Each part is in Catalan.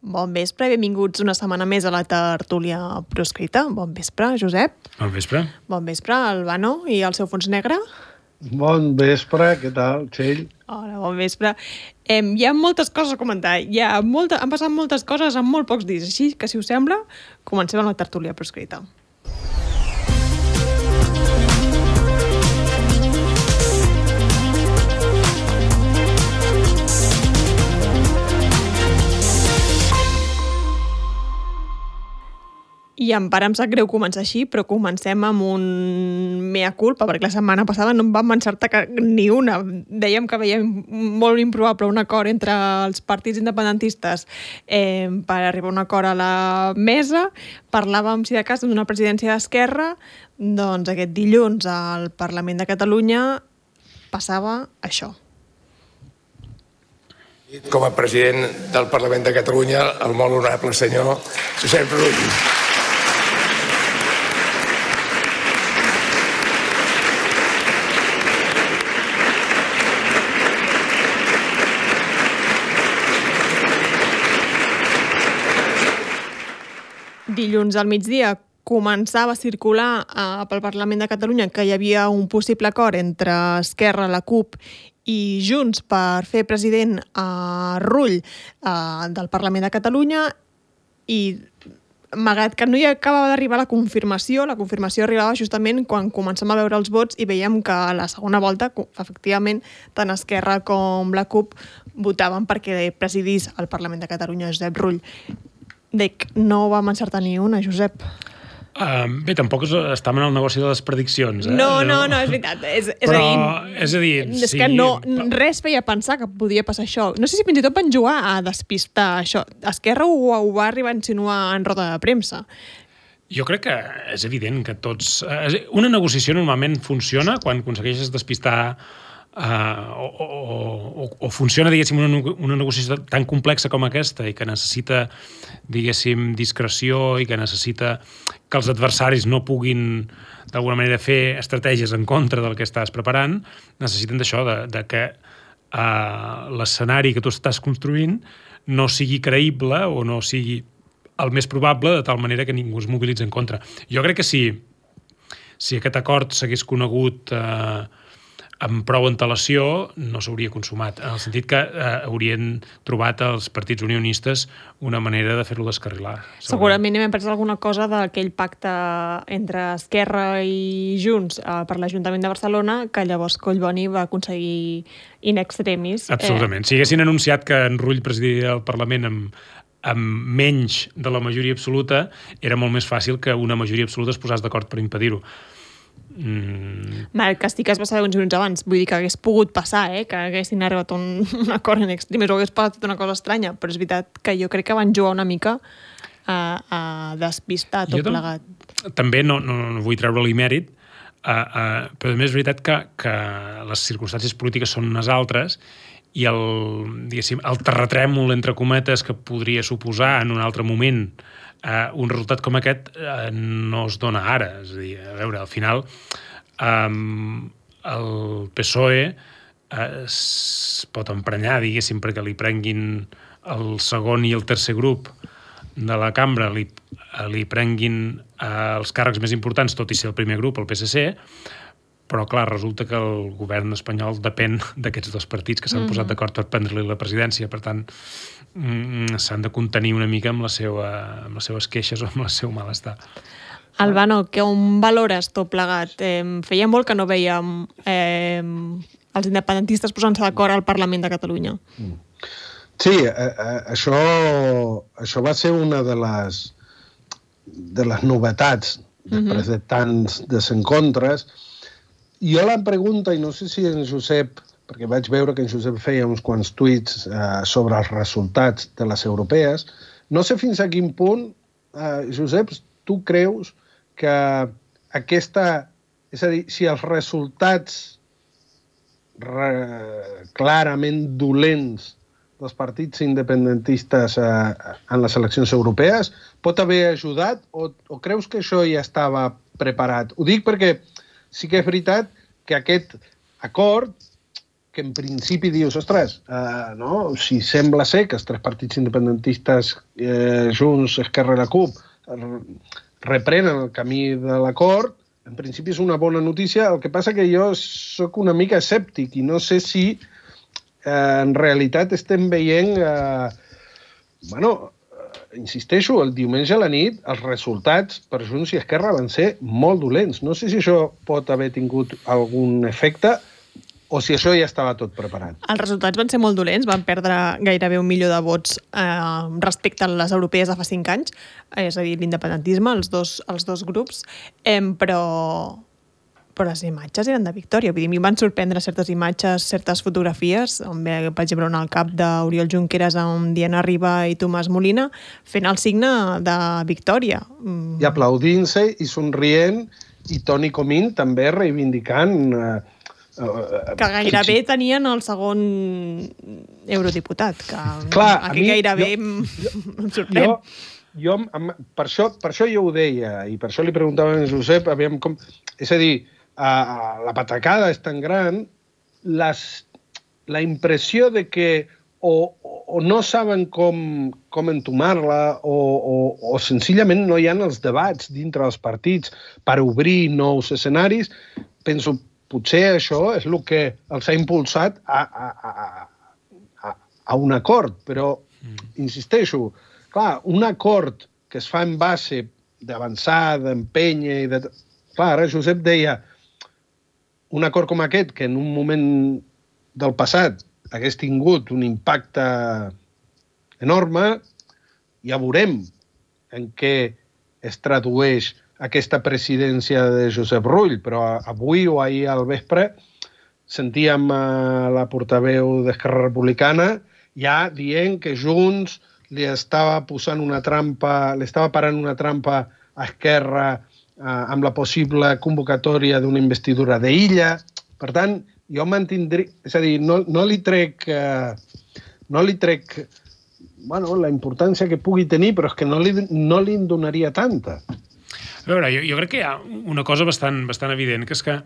Bon vespre i benvinguts una setmana més a la tertúlia proscrita. Bon vespre, Josep. Bon vespre. Bon vespre, Albano i el seu fons negre. Bon vespre, què tal, Txell? Hola, bon vespre. Hi ha moltes coses a comentar. Han passat moltes coses en molt pocs dies, així que, si us sembla, comencem amb la tertúlia proscrita. I em sap greu començar així, però comencem amb un mea culpa, perquè la setmana passada no en vam encertar ni una. Dèiem que veiem molt improbable un acord entre els partits independentistes per arribar a un acord a la mesa. Parlàvem, si de cas, d'una presidència d'Esquerra. Doncs aquest dilluns al Parlament de Catalunya passava això. Com a president del Parlament de Catalunya, el molt honorable senyor Josep Rull. Dilluns al migdia començava a circular pel Parlament de Catalunya que hi havia un possible acord entre Esquerra, la CUP i Junts per fer president a Rull del Parlament de Catalunya, i malgrat que no hi acabava d'arribar la confirmació arribava justament quan comencem a veure els vots i veiem que a la segona volta, efectivament, tant Esquerra com la CUP votaven perquè presidís el Parlament de Catalunya Josep Rull. Dic, no vam encertar ni una, Josep. Bé, tampoc estàvem en el negoci de les prediccions. No, és veritat. És a dir, sí, que no, res feia pensar que podia passar això. No sé si fins i tot van jugar a despistar això. Esquerra ho va arribar a insinuar en roda de premsa. Jo crec que és evident que tots... Una negociació normalment funciona quan aconsegueixes despistar o funciona, diguéssim, una negociació tan complexa com aquesta i que necessita, diguéssim, discreció i que necessita que els adversaris no puguin d'alguna manera fer estratègies en contra del que estàs preparant, necessiten d'això, de que l'escenari que tu estàs construint no sigui creïble o no sigui el més probable, de tal manera que ningú es mobilitzi en contra. Jo crec que si aquest acord s'hagués conegut amb prou antelació, no s'hauria consumat, en el sentit que haurien trobat els partits unionistes una manera de fer-ho descarrilar. Segurament hem après alguna cosa d'aquell pacte entre Esquerra i Junts per l'Ajuntament de Barcelona, que llavors Collboni va aconseguir in extremis. Absolutament. Si haguessin anunciat que en Rull presidiria el Parlament amb menys de la majoria absoluta, era molt més fàcil que una majoria absoluta es posés d'acord per impedir-ho. El càstig es va saber uns minuts abans, vull dir que hagués pogut passar, que haguessin arribat a un acord en extremis o hagués passat una cosa estranya, però és veritat que jo crec que van jugar una mica a despistar tot plegat. També no vull treure-li mèrit, però també és veritat que les circumstàncies polítiques són unes altres i el terratrèmol, entre cometes, que podria suposar en un altre moment un resultat com aquest no es dona ara. És a dir, a veure, al final el PSOE es pot emprenyar, diguéssim, perquè li prenguin el segon i el tercer grup de la cambra, li prenguin els càrrecs més importants, tot i ser el primer grup, el PSC, però, clar, resulta que el govern espanyol depèn d'aquests dos partits que s'han posat d'acord per prendre-li la presidència. Per tant, s'han de contenir una mica amb les seves queixes o amb el seu malestar. Albano, on valores tot plegat? Feia molt que no veiem els independentistes posant-se d'acord al Parlament de Catalunya. Sí, això va ser una de les novetats després de tants desencontres. Jo la pregunta, i no sé si en Josep, perquè vaig veure que en Josep feia uns quants tuits sobre els resultats de les europees, no sé fins a quin punt, Josep, tu creus que aquesta... És a dir, si els resultats clarament dolents dels partits independentistes en les eleccions europees pot haver ajudat o creus que això ja estava preparat? Ho dic perquè sí que és veritat que aquest acord que en principi dius, ostres, no? Si sembla ser que els tres partits independentistes, Junts, Esquerra i la CUP, reprenen el camí de l'acord, en principi és una bona notícia. El que passa que jo sóc una mica escèptic i no sé si en realitat estem veient... insisteixo, el diumenge a la nit els resultats per Junts i Esquerra van ser molt dolents. No sé si això pot haver tingut algun efecte o si això ja estava tot preparat. Els resultats van ser molt dolents, van perdre gairebé 1 milió de vots respecte a les europees de fa 5 anys, és a dir, l'independentisme, els dos grups, però les imatges eren de victòria. Vull dir, a mi em van sorprendre certes imatges, certes fotografies, on ve, per exemple, al cap d'Oriol Junqueras amb Diana Riba i Tomàs Molina, fent el signe de victòria. I aplaudint-se i somrient, i Toni Comín també reivindicant... que gairebé tenien el segon eurodiputat, que clar, aquí gairebé em sorprèn. Per això jo ho deia, i per això li preguntava a en Josep, aviam com... És a dir, la patacada és tan gran, la impressió de que o no saben com entomar-la o senzillament no hi ha els debats dintre dels partits per obrir nous escenaris, penso, potser això és el que els ha impulsat a un acord, però insisteixo, clar, un acord que es fa en base d'avançar, d'empènyer... Clar, ara Josep deia un acord com aquest, que en un moment del passat hagués tingut un impacte enorme, ja veurem en què es tradueix aquesta presidència de Josep Rull, però avui o ahir al vespre sentíem la portaveu d'Esquerra Republicana ja dient que Junts li estava posant una trampa, li estava parant una trampa a Esquerra amb la possible convocatòria d'una investidura d'Illa. Per tant, jo mantindré... És a dir, no li trec la importància que pugui tenir, però és que no li en donaria tanta. A veure, jo crec que hi ha una cosa bastant evident, que és que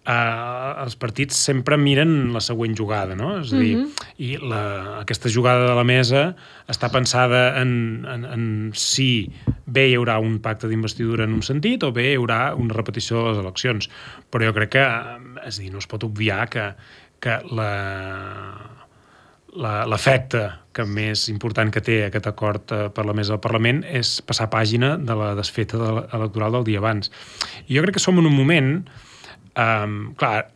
els partits sempre miren la següent jugada, no? És a dir, i aquesta jugada de la mesa està pensada en si bé hi haurà un pacte d'investidura en un sentit o bé hi haurà una repetició de les eleccions. Però jo crec que, és a dir, no es pot obviar que l'efecte que més important que té aquest acord per la mesa del Parlament és passar pàgina de la desfeta electoral del dia abans. I jo crec que som en un moment... clar,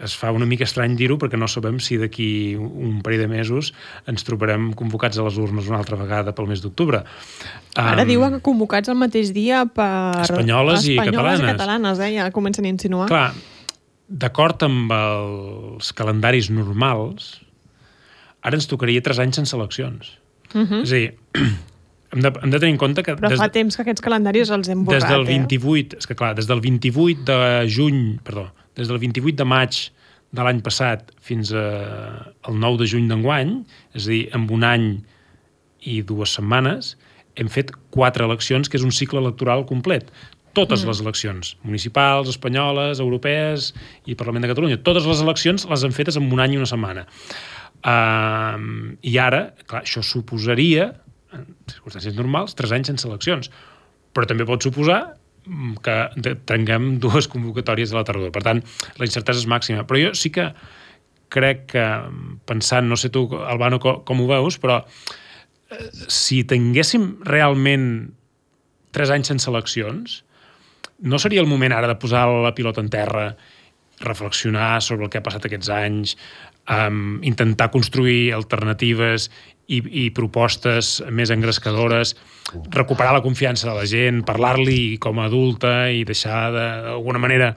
es fa una mica estrany dir-ho perquè no sabem si d'aquí un parell de mesos ens trobarem convocats a les urnes una altra vegada pel mes d'octubre. Ara diuen que convocats el mateix dia per... Espanyoles i catalanes, ja comencen a insinuar. Clar, d'acord amb els calendaris normals, ara ens tocaria 3 anys sense eleccions. És a dir, hem de tenir en compte que... Però fa temps que aquests calendaris els hem borrat, des del 28, és que clar, des del 28 de juny, perdó, des del 28 de maig de l'any passat fins al 9 de juny d'enguany, és a dir, en un any i 2 setmanes, hem fet 4 eleccions, que és un cicle electoral complet. Totes les eleccions, municipals, espanyoles, europees i Parlament de Catalunya, totes les eleccions les han fetes en un any i una setmana. I ara, clar, això suposaria, en circumstàncies normals, 3 anys sense eleccions. Però també pot suposar que tinguem 2 convocatòries a la tardor. Per tant, la incertesa és màxima. Però jo sí que crec que, pensant, no sé tu, Albano, com ho veus, però si tinguéssim realment 3 anys sense eleccions, no seria el moment ara de posar la pilota en terra, reflexionar sobre el que ha passat aquests anys, intentar construir alternatives i propostes més engrescadores, recuperar la confiança de la gent, parlar-li com a adulta i deixar d'alguna manera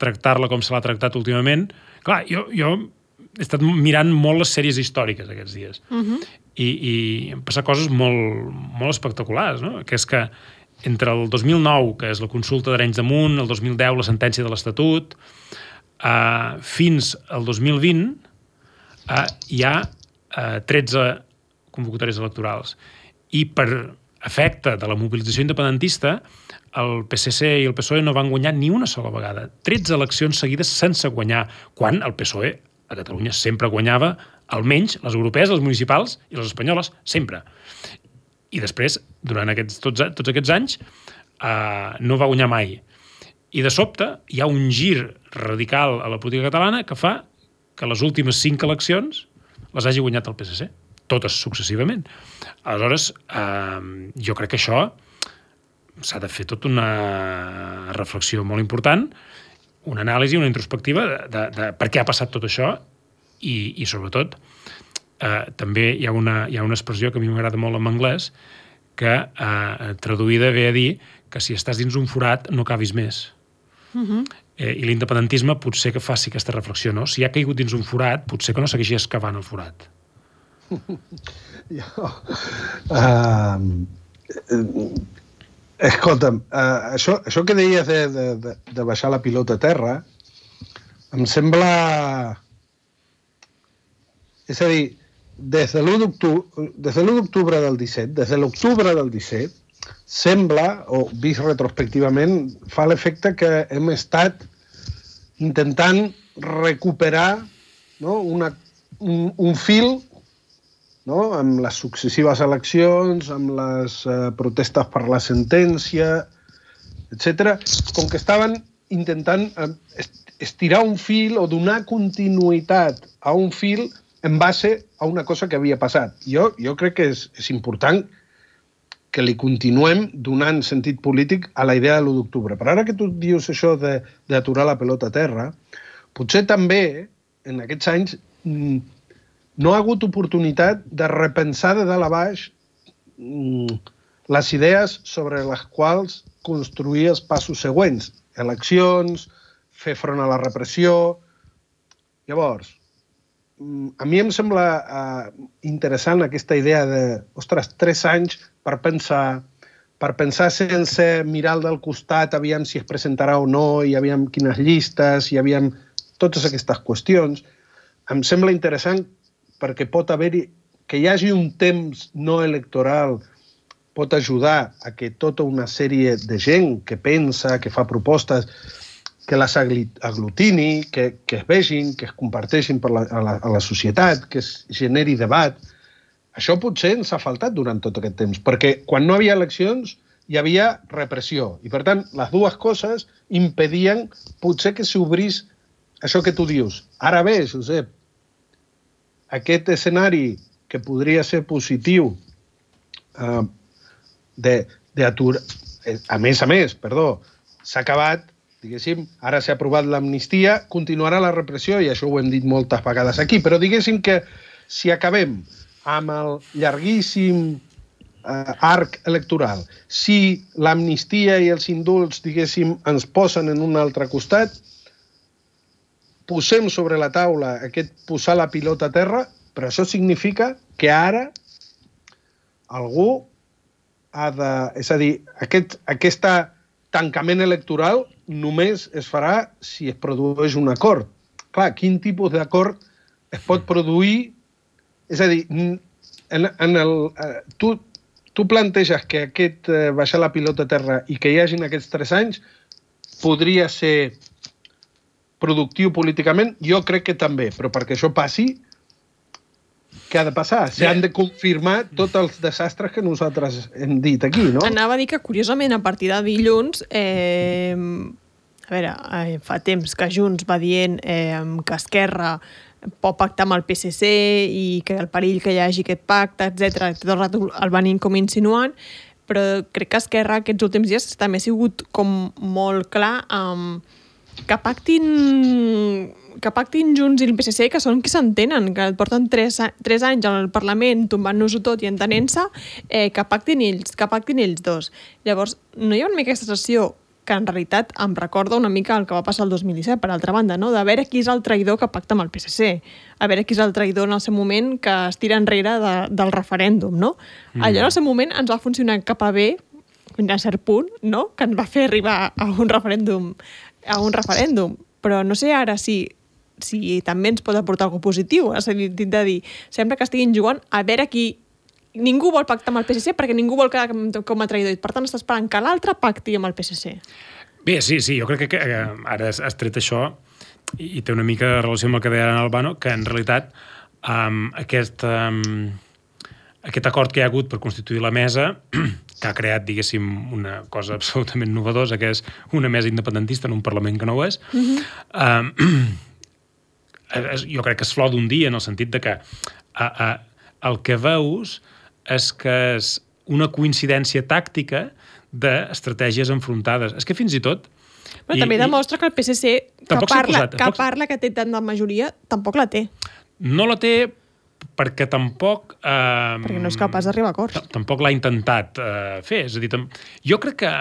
tractar-la com se l'ha tractat últimament. Clar, jo he estat mirant molt les sèries històriques aquests dies i han passat coses molt espectaculars, no? Que és que entre el 2009, que és la consulta d'Arenys de Munt, el 2010, la sentència de l'Estatut, fins al 2020 hi ha 13 convocatòries electorals. I per efecte de la mobilització independentista, el PSC i el PSOE no van guanyar ni una sola vegada. 13 eleccions seguides sense guanyar, quan el PSOE a Catalunya sempre guanyava almenys les europees, les municipals i les espanyoles, sempre. I després, durant tots aquests anys, no va guanyar mai. I de sobte hi ha un gir radical a la política catalana que fa que les últimes 5 eleccions les hagi guanyat el PSC, totes successivament. Aleshores, jo crec que això s'ha de fer tota una reflexió molt important, una anàlisi, una introspectiva de per què ha passat tot això i sobretot, també hi ha una expressió que a mi m'agrada molt en anglès, que traduïda ve a dir que si estàs dins un forat no cabis més. I l'independentisme potser que faci aquesta reflexió, no? Si ha caigut dins un forat, potser que no segueixi excavant el forat. Escolta'm, això que deies de baixar la pilota a terra em sembla... És a dir, des de l'1 d'octubre del 17, des de l'octubre del 17, sembla, o vist retrospectivament, fa l'efecte que hem estat intentant recuperar, no, un fil, no, amb les successives eleccions, amb les protestes per la sentència, etc., com que estaven intentant estirar un fil o donar continuïtat a un fil en base a una cosa que havia passat. Jo crec que és important que li continuem donant sentit polític a la idea de l'1 d'octubre. Però ara que tu dius això d'aturar la pelota a terra, potser també, en aquests anys, no ha hagut oportunitat de repensar de dalt a baix les idees sobre les quals construir els passos següents. Eleccions, fer front a la repressió... Llavors, a mi em sembla interessant aquesta idea de, ostres, 3 anys per pensar sense mirar del costat, aviam si es presentarà o no, i aviam quines llistes, i aviam totes aquestes qüestions. Em sembla interessant perquè pot haver-hi, que hi hagi un temps no electoral pot ajudar a que tota una sèrie de gent que pensa, que fa propostes, que les aglutini, que es vegin, que es comparteixin a la societat, que es generi debat. Això potser ens ha faltat durant tot aquest temps, perquè quan no hi havia eleccions hi havia repressió. I, per tant, les dues coses impedien potser que s'obrís això que tu dius. Ara bé, Josep, aquest escenari que podria ser positiu d'aturar... A més, s'ha acabat, diguéssim, ara s'ha aprovat l'amnistia, continuarà la repressió, i això ho hem dit moltes vegades aquí, però diguéssim que si acabem amb el llarguíssim arc electoral, si l'amnistia i els indults, diguéssim, ens posen en un altre costat, posem sobre la taula aquest posar la pilota a terra, però això significa que ara algú ha de... És a dir, aquest tancament electoral només es farà si es produeix un acord. Clar, quin tipus d'acord es pot produir? És a dir, tu planteges que aquest baixar la pilota a terra i que hi hagin aquests 3 anys podria ser productiu políticament? Jo crec que també, però perquè això passi, què ha de passar? S'han de confirmar tots els desastres que nosaltres hem dit aquí, no? Anava a dir que, curiosament, a partir de dilluns, fa temps que Junts va dient que Esquerra pot pactar amb el PSC i que el perill que hi hagi aquest pacte, etc. Tot el rato el venim com insinuant, però crec que Esquerra aquests últims dies també ha sigut com molt clar que pactin Junts i el PSC, que són qui s'entenen, que porten 3 anys al Parlament tombant-nos-ho tot i entenent-se, que pactin ells dos. Llavors, no hi ha una mica aquesta sensació que en realitat em recorda una mica el que va passar el 2017, per altra banda, no? De veure qui és el traïdor que pacta amb el PSC, a veure qui és el traïdor en el seu moment que es tira enrere del referèndum, no? Allò en el seu moment ens va funcionar cap a bé, fins a cert punt, no? Que ens va fer arribar a un referèndum, però no sé ara si també ens pot aportar alguna positiu, és a dir, de dir, sembla que estiguin jugant a veure qui ningú vol pactar amb el PSC perquè ningú vol quedar com a traïdor. Per tant, està esperant que l'altre pacti amb el PSC. Bé, sí, jo crec que ara has tret això i té una mica de relació amb el que deia Albano, que en realitat aquest acord que hi ha hagut per constituir la mesa, que ha creat, diguéssim, una cosa absolutament novedosa, que és una mesa independentista en un Parlament que no ho és, jo crec que es flor d'un dia, en el sentit de que el que veus és que és una coincidència tàctica d'estratègies enfrontades. És que fins i tot... Però també demostra que el PSC, que parla que té tant de majoria, tampoc la té. No la té perquè tampoc... perquè no és capaç d'arribar a acords. Tampoc l'ha intentat fer. És a dir, jo crec que...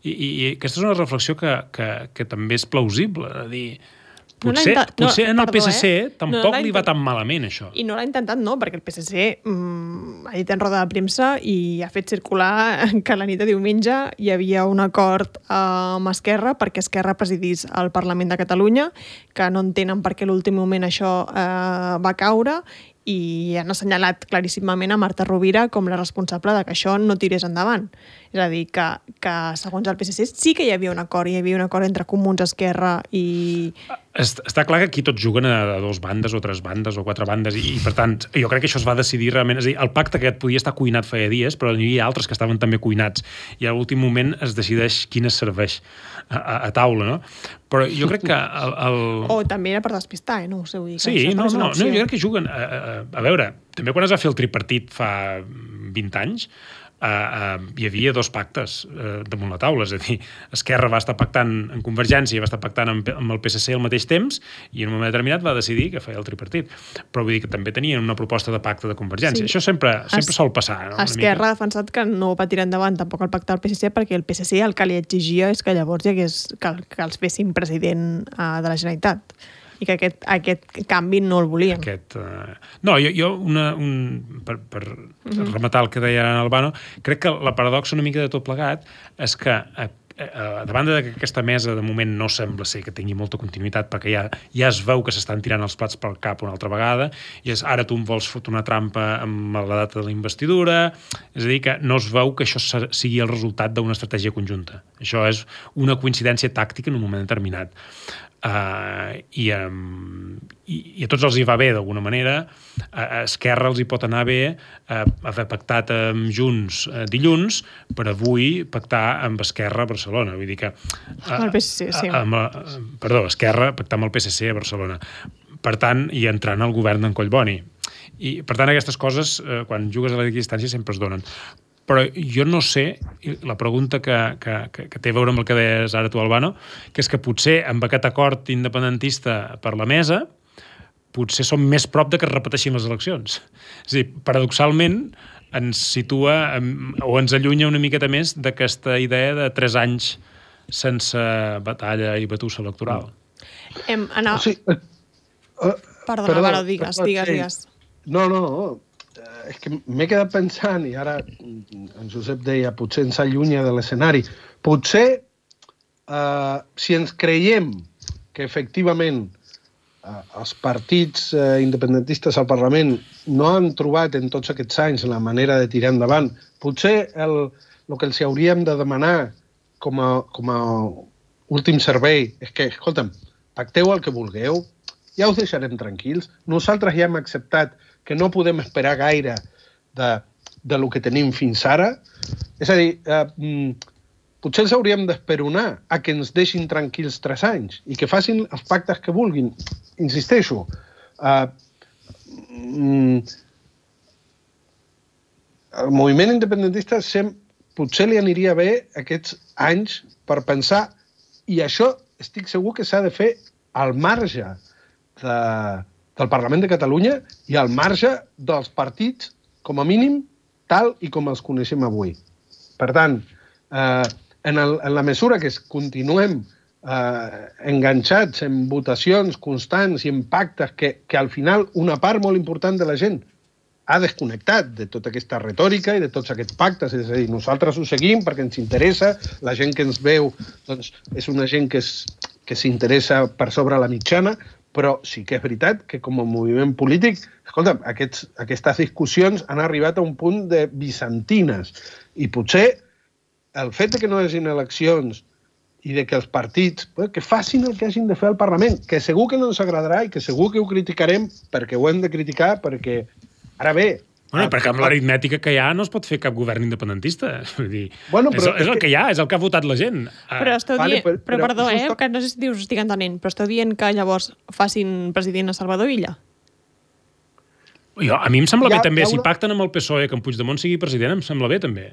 I aquesta és una reflexió que també és plausible. És a dir, potser en el PSC tampoc li va tan malament, això. I no l'ha intentat, no, perquè el PSC ha dit en roda de premsa i ha fet circular que la nit de diumenge hi havia un acord amb Esquerra perquè Esquerra presidís el Parlament de Catalunya, que no entenen per què a l'últim moment això va caure, i han assenyalat claríssimament a Marta Rovira com la responsable de que això no tirés endavant. És a dir, que segons el PSC sí que hi havia un acord, entre Comuns, Esquerra i... Està clar que aquí tots juguen a dues bandes o tres bandes o quatre bandes i per tant, jo crec que això es va decidir realment, és a dir, el pacte aquest podia estar cuinat feia dies, però n'hi havia altres que estaven també cuinats i a l'últim moment es decideix quin es serveix a taula, no? Però jo crec que o també era per despistar, no ho sé, vull dir. Sí, no, jo crec que juguen a veure, també quan es va fer el tripartit fa 20 anys, hi havia dos pactes damunt la taula, és a dir, Esquerra va estar pactant amb Convergència i va estar pactant amb el PSC al mateix temps i en un moment determinat va decidir que feia el tripartit. Però vull dir que també tenien una proposta de pacte de Convergència. Sí. Això sempre sol passar, no? Esquerra ha defensat que no va tirar endavant tampoc el pacte del PSC perquè el PSC el que li exigia és que llavors hi hagués que els fessin president de la Generalitat. I que aquest canvi no el volien. No, jo per rematar el que deia Albano, crec que la paradoxa una mica de tot plegat és que a banda que aquesta mesa de moment no sembla ser que tingui molta continuïtat perquè ja es veu que s'estan tirant els plats pel cap una altra vegada i ara tu em vols fotre una trampa amb la data de la investidura, és a dir, que no es veu que això sigui el resultat d'una estratègia conjunta. Això és una coincidència tàctica en un moment determinat. I a tots els hi va bé d'alguna manera. A Esquerra els hi pot anar bé haver pactat amb Junts dilluns per avui pactar amb Esquerra a Barcelona, vull dir que el PSC, sí. Esquerra pactar amb el PSC a Barcelona, per tant, i entrant al govern d'en Collboni, i per tant aquestes coses quan jugues a la distància sempre es donen. Però jo no sé, la pregunta que té a veure amb el que deies ara tu, Albano, que és que potser amb aquest acord independentista per la mesa, potser som més prop de que es repeteixin les eleccions. És a dir, paradoxalment, ens situa o ens allunya una miqueta més d'aquesta idea de 3 anys sense batalla i batussa electoral. Perdona, Álvaro, digues. No. És que m'he quedat pensant, i ara en Josep deia, potser ens allunya de l'escenari. Potser, si ens creiem que efectivament els partits independentistes al Parlament no han trobat en tots aquests anys la manera de tirar endavant, potser el que els hauríem de demanar com a últim servei és que, escolta'm, pacteu el que vulgueu, ja us deixarem tranquils. Nosaltres ja hem acceptat que no podem esperar gaire de lo que tenim fins ara. És a dir, potser els hauríem d'esperonar a que ens deixin tranquils 3 anys i que facin els pactes que vulguin. Insisteixo, el moviment independentista potser li aniria bé aquests anys per pensar, i això estic segur que s'ha de fer al marge del Parlament de Catalunya i al marge dels partits, com a mínim, tal i com els coneixem avui. Per tant, en la mesura que continuem enganxats en votacions constants i en pactes que al final una part molt important de la gent ha desconnectat de tota aquesta retòrica i de tots aquests pactes, és a dir, nosaltres ho seguim perquè ens interessa, la gent que ens veu doncs, és una gent que s'interessa per sobre la mitjana, Però sí que és veritat que com a moviment polític, escolta'm, aquestes discussions han arribat a un punt de bizantines. I potser el fet de que no hi hagi eleccions i de que els partits que facin el que hagin de fer al Parlament, que segur que no ens agradarà i que segur que ho criticarem perquè ho hem de criticar, perquè ara bé... Bueno, perquè amb l'aritmètica que hi ha no es pot fer cap govern independentista. Vull dir, Bueno, però és el que hi ha, és el que ha votat la gent. Però esteu Vale, dient, però perdó, això que no sé si us estic entenent, però esteu dient que llavors facin president a Salvador Illa? A mi em sembla bé també, si una- pacten amb el PSOE que en Puigdemont sigui president, em sembla bé també.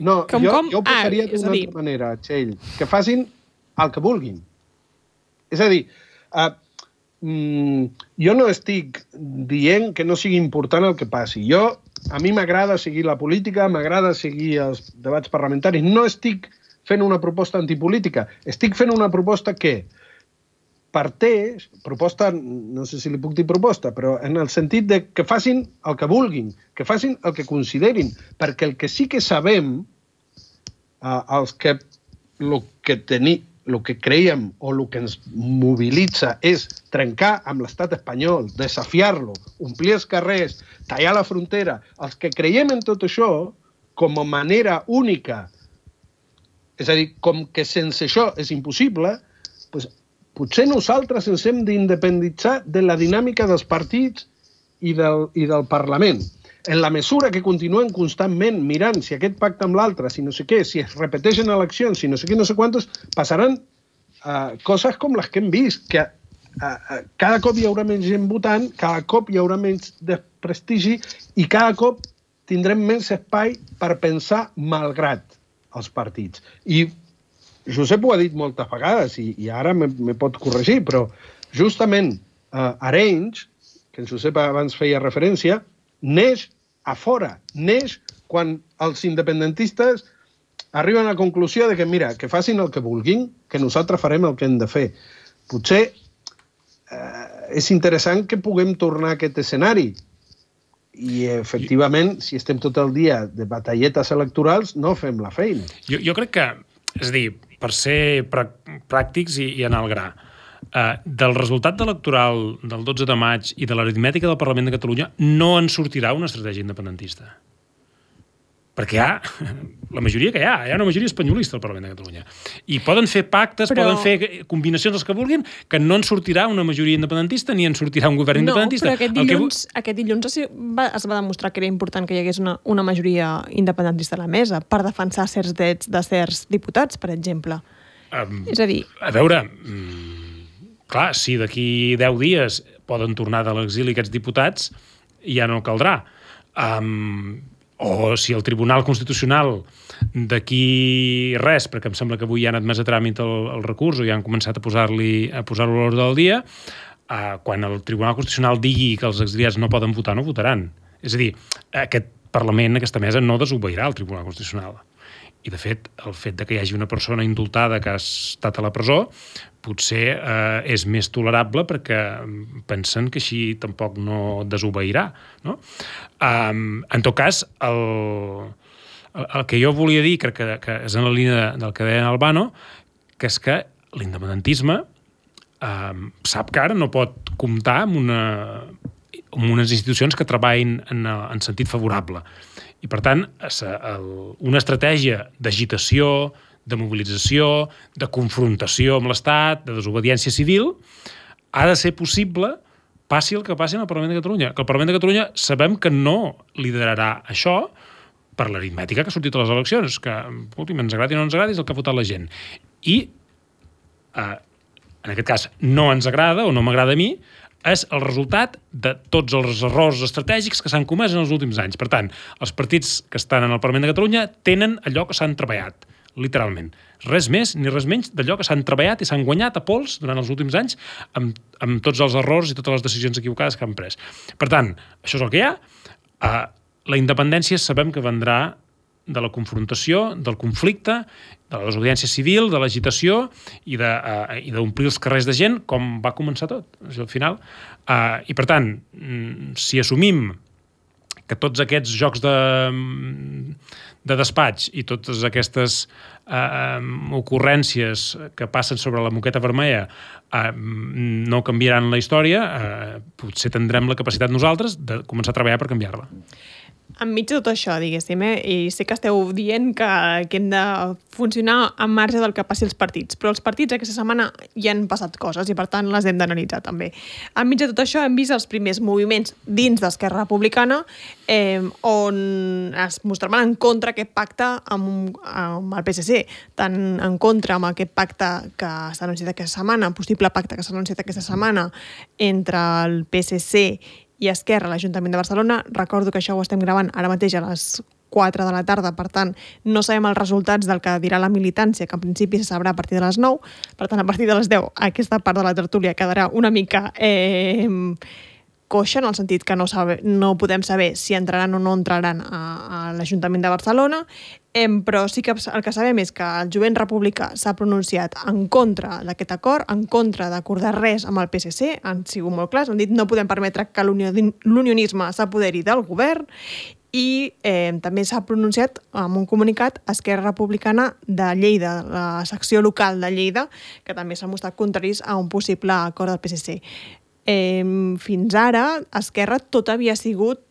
No, Com? jo ho posaria és d'una a dir- altra manera, Txell. Que facin el que vulguin. És a dir, jo no estic dient que no sigui important el que passi. A mi m'agrada seguir la política, m'agrada seguir els debats parlamentaris. No estic fent una proposta antipolítica. Estic fent una proposta que parteix, proposta, no sé si li puc dir proposta, però en el sentit de que facin el que vulguin, que facin el que considerin, perquè el que sí que sabem, el que creiem o el que ens mobilitza és trencar amb l'estat espanyol, desafiar-lo, omplir els carrers, tallar la frontera. Els que creiem en tot això com a manera única, és a dir, com que sense això és impossible, doncs potser nosaltres ens hem d'independitzar de la dinàmica dels partits i del Parlament. En la mesura que continuem constantment mirant si aquest pacte amb l'altre, si no sé què, si es repeteixen eleccions, si no sé què, no sé quantos, passaran coses com les que hem vist, que cada cop hi haurà menys gent votant, cada cop hi haurà menys desprestigi i cada cop tindrem menys espai per pensar malgrat els partits. I Josep ho ha dit moltes vegades i ara me pot corregir, però justament Arenys, que en Josep abans feia referència, neix a fora, neix quan els independentistes arriben a la conclusió de que, mira, que facin el que vulguin, que nosaltres farem el que hem de fer. Potser és interessant que puguem tornar a aquest escenari i, efectivament, si estem tot el dia de batalletes electorals, no fem la feina. Jo crec que, és a dir, per ser pràctics i anar al gra, del resultat electoral del 12 de maig i de l'aritmètica del Parlament de Catalunya no en sortirà una estratègia independentista. Perquè la majoria que hi ha una majoria espanyolista al Parlament de Catalunya. I poden fer pactes, poden fer combinacions els que vulguin, que no en sortirà una majoria independentista ni en sortirà un govern independentista. No, però aquest dilluns es va demostrar que era important que hi hagués una majoria independentista a la mesa per defensar certs drets de certs diputats, per exemple. És a dir... A veure... Clar, si d'aquí 10 dies poden tornar de l'exili aquests diputats, ja no caldrà. O si el Tribunal Constitucional d'aquí res, perquè em sembla que avui ja han admès a tràmit el recurs o ja han començat a posar-lo a l'ordre del dia, quan el Tribunal Constitucional digui que els exiliats no poden votar, no votaran. És a dir, aquest Parlament, aquesta mesa, no desobeirà el Tribunal Constitucional. I, de fet, el fet de que hi hagi una persona indultada que ha estat a la presó potser és més tolerable perquè pensen que així tampoc no desobeirà. No? En tot cas, el que jo volia dir, crec que és en la línia del que deia Albano, que és que l'independentisme sap que ara no pot comptar amb unes institucions que treballin en sentit favorable. I, per tant, una estratègia d'agitació, de mobilització, de confrontació amb l'Estat, de desobediència civil, ha de ser possible passi el que passi en el Parlament de Catalunya. Que el Parlament de Catalunya sabem que no liderarà això per l'aritmètica que ha sortit a les eleccions, que, últim, ens agradi o no ens agradi, és el que ha votat la gent. I, en aquest cas, no ens agrada o no m'agrada a mi, és el resultat de tots els errors estratègics que s'han comès en els últims anys. Per tant, els partits que estan en el Parlament de Catalunya tenen allò que s'han treballat, literalment. Res més ni res menys d'allò que s'han treballat i s'han guanyat a pols durant els últims anys amb tots els errors i totes les decisions equivocades que han pres. Per tant, això és el que hi ha. La independència sabem que vendrà de la confrontació, del conflicte, de la desobediència civil, de l'agitació i d'omplir els carrers de gent, com va començar tot, al final. I, per tant, si assumim que tots aquests jocs de despatx i totes aquestes ocurrències que passen sobre la moqueta vermella no canviaran la història, potser tindrem la capacitat nosaltres de començar a treballar per canviar-la. Enmig de tot això, diguéssim, i sé que esteu dient que hem de funcionar en marge del que passi als partits, però els partits aquesta setmana hi han passat coses i per tant les hem d'analitzar també. Enmig de tot això hem vist els primers moviments dins d'Esquerra Republicana on es mostraven en contra aquest pacte amb el PSC, tant en contra amb aquest pacte que s'ha anunciat aquesta setmana, possible pacte que s'ha anunciat aquesta setmana entre el PSC i Esquerra a l'Ajuntament de Barcelona. Recordo que això ho estem gravant ara mateix a les 4 de la tarda, per tant, no sabem els resultats del que dirà la militància, que en principi se sabrà a partir de les 9, per tant, a partir de les 10 aquesta part de la tertúlia quedarà una mica coixa, en el sentit que no podem saber si entraran o no entraran a l'Ajuntament de Barcelona, però sí que el que sabem és que el jovent republicà s'ha pronunciat en contra d'aquest acord, en contra d'acordar res amb el PSC, han sigut molt clars, han dit no podem permetre que l'unionisme s'apoderi del govern, i també s'ha pronunciat amb un comunicat Esquerra Republicana de Lleida, la secció local de Lleida, que també s'ha mostrat contraris a un possible acord del PSC. Fins ara, Esquerra tot havia sigut...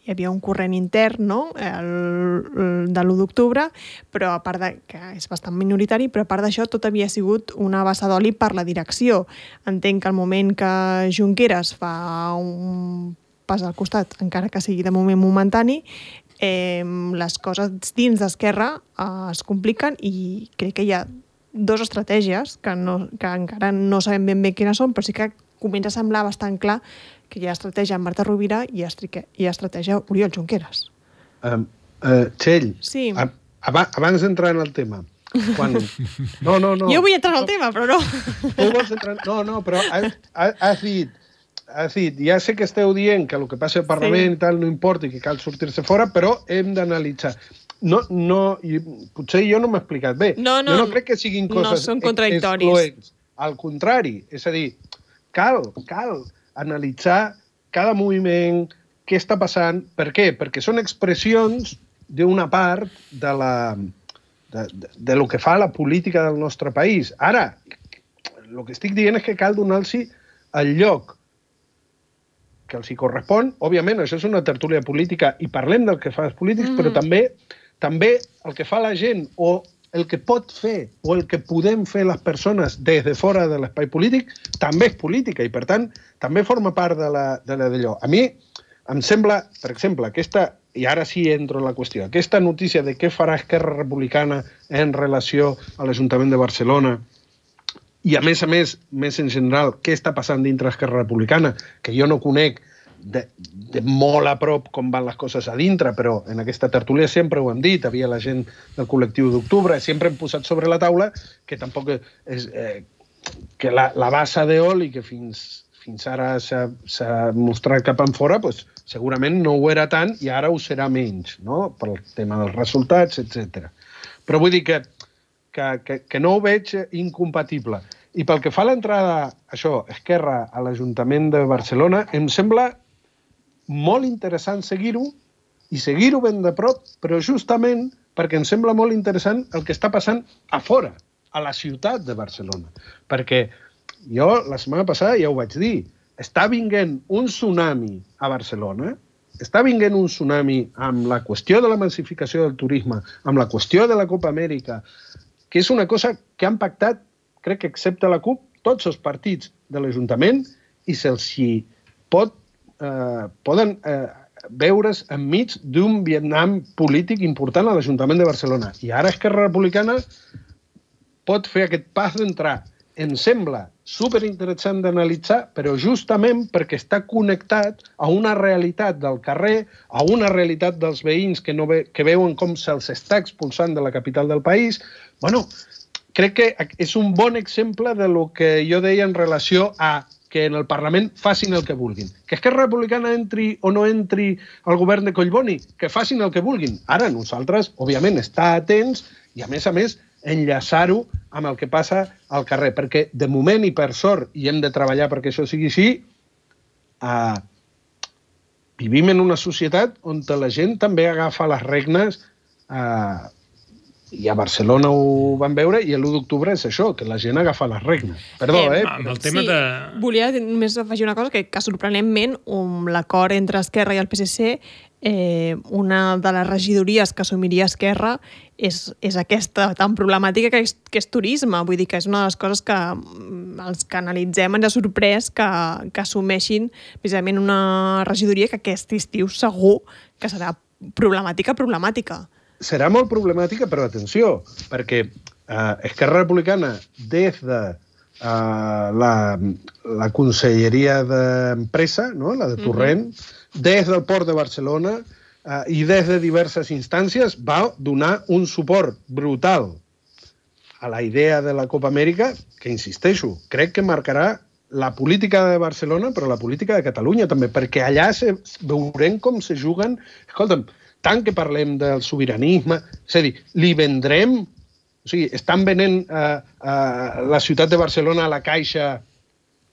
Hi havia un corrent intern, no?, de l'1 d'octubre, però a part que és bastant minoritari, però a part d'això tot havia sigut una bassa d'oli per la direcció. Entenc que al moment que Junqueras fa un pas al costat, encara que sigui de moment momentani, les coses dins d'Esquerra es compliquen i crec que hi ha dues estratègies que encara no sabem ben bé quines són, però sí que comença a semblar bastant clar que hi ha estratègia en Marta Rovira i hi ha estratègia Oriol Junqueras. Txell, sí. Abans d'entrar en el tema, quan... No. Jo vull entrar en el tema, però no. Tu vols entrar... No, però has dit, ja sé que esteu dient que el que passa al Parlament i tal no importa i que cal sortir-se fora, però hem d'analitzar. No, potser jo no m'he explicat bé. Jo no crec que siguin coses excloents. Al contrari, és a dir, cal analitzar cada moviment, què està passant, per què? Perquè són expressions d'una part de lo que fa la política del nostre país. Ara, el que estic dient és que cal donar-los el lloc que els hi correspon. Òbviament, això és una tertúlia política i parlem del que fa els polítics, però també el que fa la gent o el que pot fer o el que podem fer les persones des de fora de l'espai polític també és política i, per tant, també forma part de d'allò. A mi em sembla, per exemple, i ara sí entro en la qüestió, aquesta notícia de què farà Esquerra Republicana en relació a l'Ajuntament de Barcelona i, a més, més en general, què està passant dintre Esquerra Republicana, que jo no conec de molt a prop com van les coses a dintre, però en aquesta tertúlia sempre ho hem dit, havia la gent del col·lectiu d'octubre, sempre hem posat sobre la taula que tampoc és que la bassa d'oli que fins ara s'ha mostrat cap enfora, doncs, segurament no ho era tant i ara ho serà menys, no?, pel tema dels resultats, etc. Però vull dir que no ho veig incompatible. I pel que fa a l'entrada, Esquerra a l'Ajuntament de Barcelona, em sembla molt interessant seguir-ho i seguir-ho ben de prop, però justament perquè em sembla molt interessant el que està passant a fora, a la ciutat de Barcelona. Perquè jo la setmana passada ja ho vaig dir, està vinguent un tsunami a Barcelona, està vinguent un tsunami amb la qüestió de la massificació del turisme, amb la qüestió de la Copa Amèrica, que és una cosa que han pactat, crec que excepte la CUP, tots els partits de l'Ajuntament i se'ls poden veure's enmig d'un Vietnam polític important a l'Ajuntament de Barcelona. I ara Esquerra Republicana pot fer aquest pas d'entrar. Em sembla superinteressant d'analitzar, però justament perquè està connectat a una realitat del carrer, a una realitat dels veïns que veuen com se'ls està expulsant de la capital del país. Bueno, crec que és un bon exemple de lo que jo deia en relació a que en el Parlament facin el que vulguin. Que Esquerra Republicana entri o no entri al govern de Collboni, que facin el que vulguin. Ara nosaltres, òbviament, estar atents i, a més, enllaçar-ho amb el que passa al carrer. Perquè, de moment i per sort, i hem de treballar perquè això sigui així, vivim en una societat on la gent també agafa les regnes, i a Barcelona ho van veure, i l'1 d'octubre és això, que la gent agafa les regnes. Perdó, Amb el tema de... Volia només afegir una cosa, que sorprenentment, l'acord entre Esquerra i el PSC, una de les regidories que assumiria Esquerra és aquesta tan problemàtica que és turisme. Vull dir que és una de les coses que els que analitzem ens ha sorprès que assumeixin precisament una regidoria que aquest estiu segur que serà problemàtica. Serà molt problemàtica, però atenció, perquè Esquerra Republicana, des de la Conselleria d'Empresa, no? La de Torrent, des del Port de Barcelona i des de diverses instàncies, va donar un suport brutal a la idea de la Copa Amèrica, que, insisteixo, crec que marcarà la política de Barcelona, però la política de Catalunya també, perquè allà veurem com se juguen... Escolta'm, tant que parlem del sobiranisme, és a dir, li vendrem... O sigui, estan venent la ciutat de Barcelona a la Caixa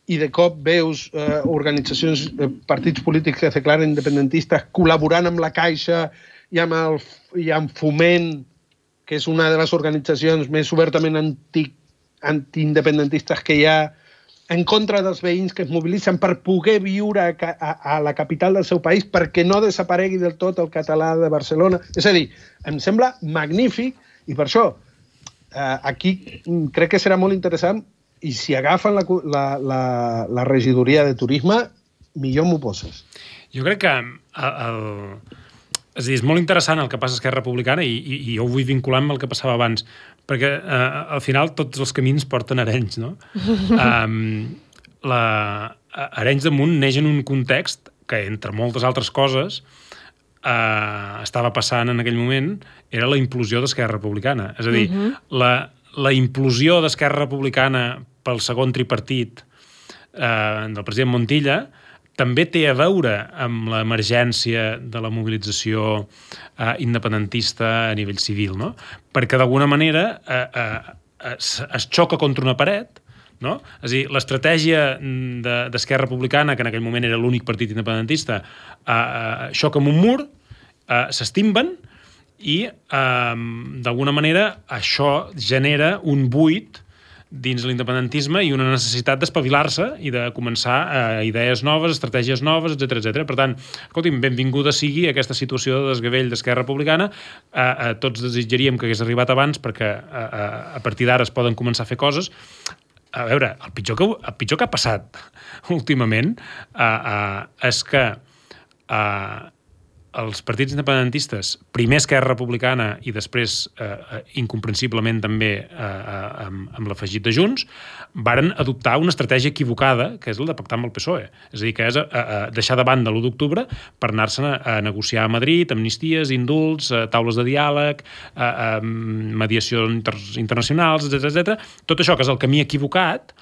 i de cop veus organitzacions, partits polítics que es declaren independentistes col·laborant amb la Caixa i amb Foment, que és una de les organitzacions més obertament antiindependentistes que hi ha, en contra dels veïns que es mobilitzen per poder viure a la capital del seu país perquè no desaparegui del tot el català de Barcelona. És a dir, em sembla magnífic i per això aquí crec que serà molt interessant i si agafen la regidoria de turisme, millor m'ho poses. Jo crec que és a dir, és molt interessant el que passa a Esquerra Republicana i jo ho vull vincular amb el que passava abans, perquè al final tots els camins porten a Arenys, no? Arenys de Munt neix en un context que, entre moltes altres coses, estava passant en aquell moment, era la implosió d'Esquerra Republicana. És a dir, la implosió d'Esquerra Republicana pel segon tripartit del president Montilla també té a veure amb l'emergència de la mobilització independentista a nivell civil, no? Perquè d'alguna manera es xoca contra una paret, no? És a dir, l'estratègia d'Esquerra Republicana, que en aquell moment era l'únic partit independentista, xoca amb un mur, s'estimben i d'alguna manera això genera un buit dins l'independentisme i una necessitat d'espavilar-se i de començar idees noves, estratègies noves, etc. Per tant, escolti'm, benvinguda sigui aquesta situació de desgavell d'Esquerra Republicana. Tots desitjaríem que hagués arribat abans perquè a partir d'ara es poden començar a fer coses. A veure, el pitjor que ha passat últimament és que els partits independentistes, primer Esquerra Republicana i després, incomprensiblement també amb l'afegit de Junts, varen adoptar una estratègia equivocada, que és la de pactar amb el PSOE. És a dir, que és deixar de banda l'1 d'octubre per anar-se'n a negociar a Madrid, amnisties, indults, taules de diàleg, mediacions internacionals, etc. Tot això, que és el camí equivocat,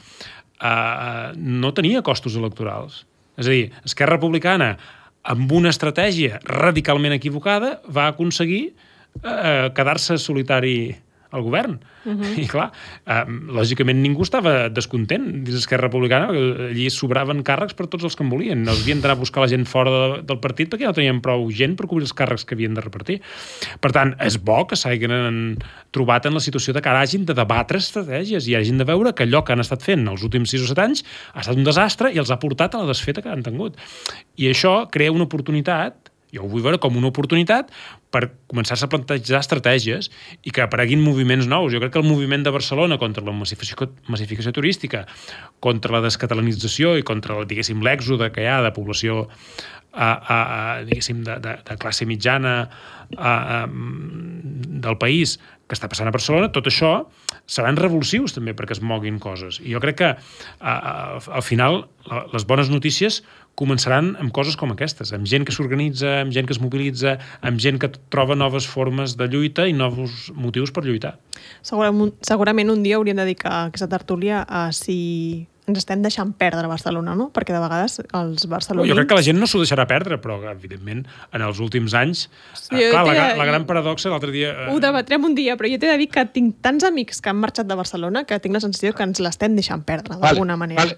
no tenia costos electorals. És a dir, Esquerra Republicana, amb una estratègia radicalment equivocada, va aconseguir quedar-se solitari al govern. I clar, lògicament ningú estava descontent dins d'Esquerra Republicana, perquè allí sobraven càrrecs per tots els que en volien. No havien d'anar a buscar la gent fora del partit perquè no tenien prou gent per cobrir els càrrecs que havien de repartir. Per tant, és bo que s'hagin trobat en la situació de que ara hagin de debatre estratègies i hagin de veure que allò que han estat fent els últims 6 o 7 anys ha estat un desastre i els ha portat a la desfeta que han tingut. I això crea una oportunitat, jo ho vull veure com una oportunitat per començar-se a plantejar estratègies i que apareguin moviments nous. Jo crec que el moviment de Barcelona contra la massificació turística, contra la descatalanització i contra, diguéssim, l'èxode que hi ha de població diguéssim, de classe mitjana del país que està passant a Barcelona, tot això seran revulsius també perquè es moguin coses. I jo crec que al final les bones notícies començaran amb coses com aquestes, amb gent que s'organitza, amb gent que es mobilitza, amb gent que troba noves formes de lluita i nous motius per lluitar. Segurament un dia hauríem de dedicar aquesta tertúlia a si ens estem deixant perdre Barcelona, no? Perquè de vegades els barcelonins... Jo crec que la gent no s'ho deixarà perdre, però evidentment en els últims anys... la gran paradoxa l'altre dia... Ho debatrem un dia, però jo t'he de dir que tinc tants amics que han marxat de Barcelona que tinc la sensació que ens l'estem deixant perdre, d'alguna manera.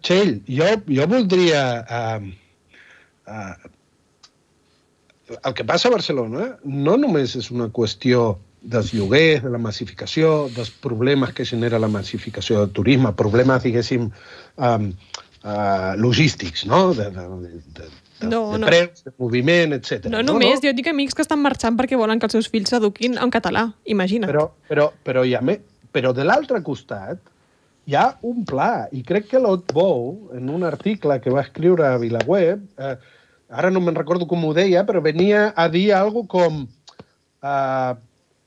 Txell, jo voldria el que passa a Barcelona no només és una qüestió dels lloguers, de la massificació, dels problemes que genera la massificació del turisme, problemes, diguéssim, logístics, no? De preus, de moviment, etc. No només, jo dic amics que estan marxant perquè volen que els seus fills s'eduquin en català, imagina't. Però de l'altre costat hi ha un pla, i crec que l'Otbou, en un article que va escriure a VilaWeb, ara no me'n recordo com ho deia, però venia a dir alguna cosa com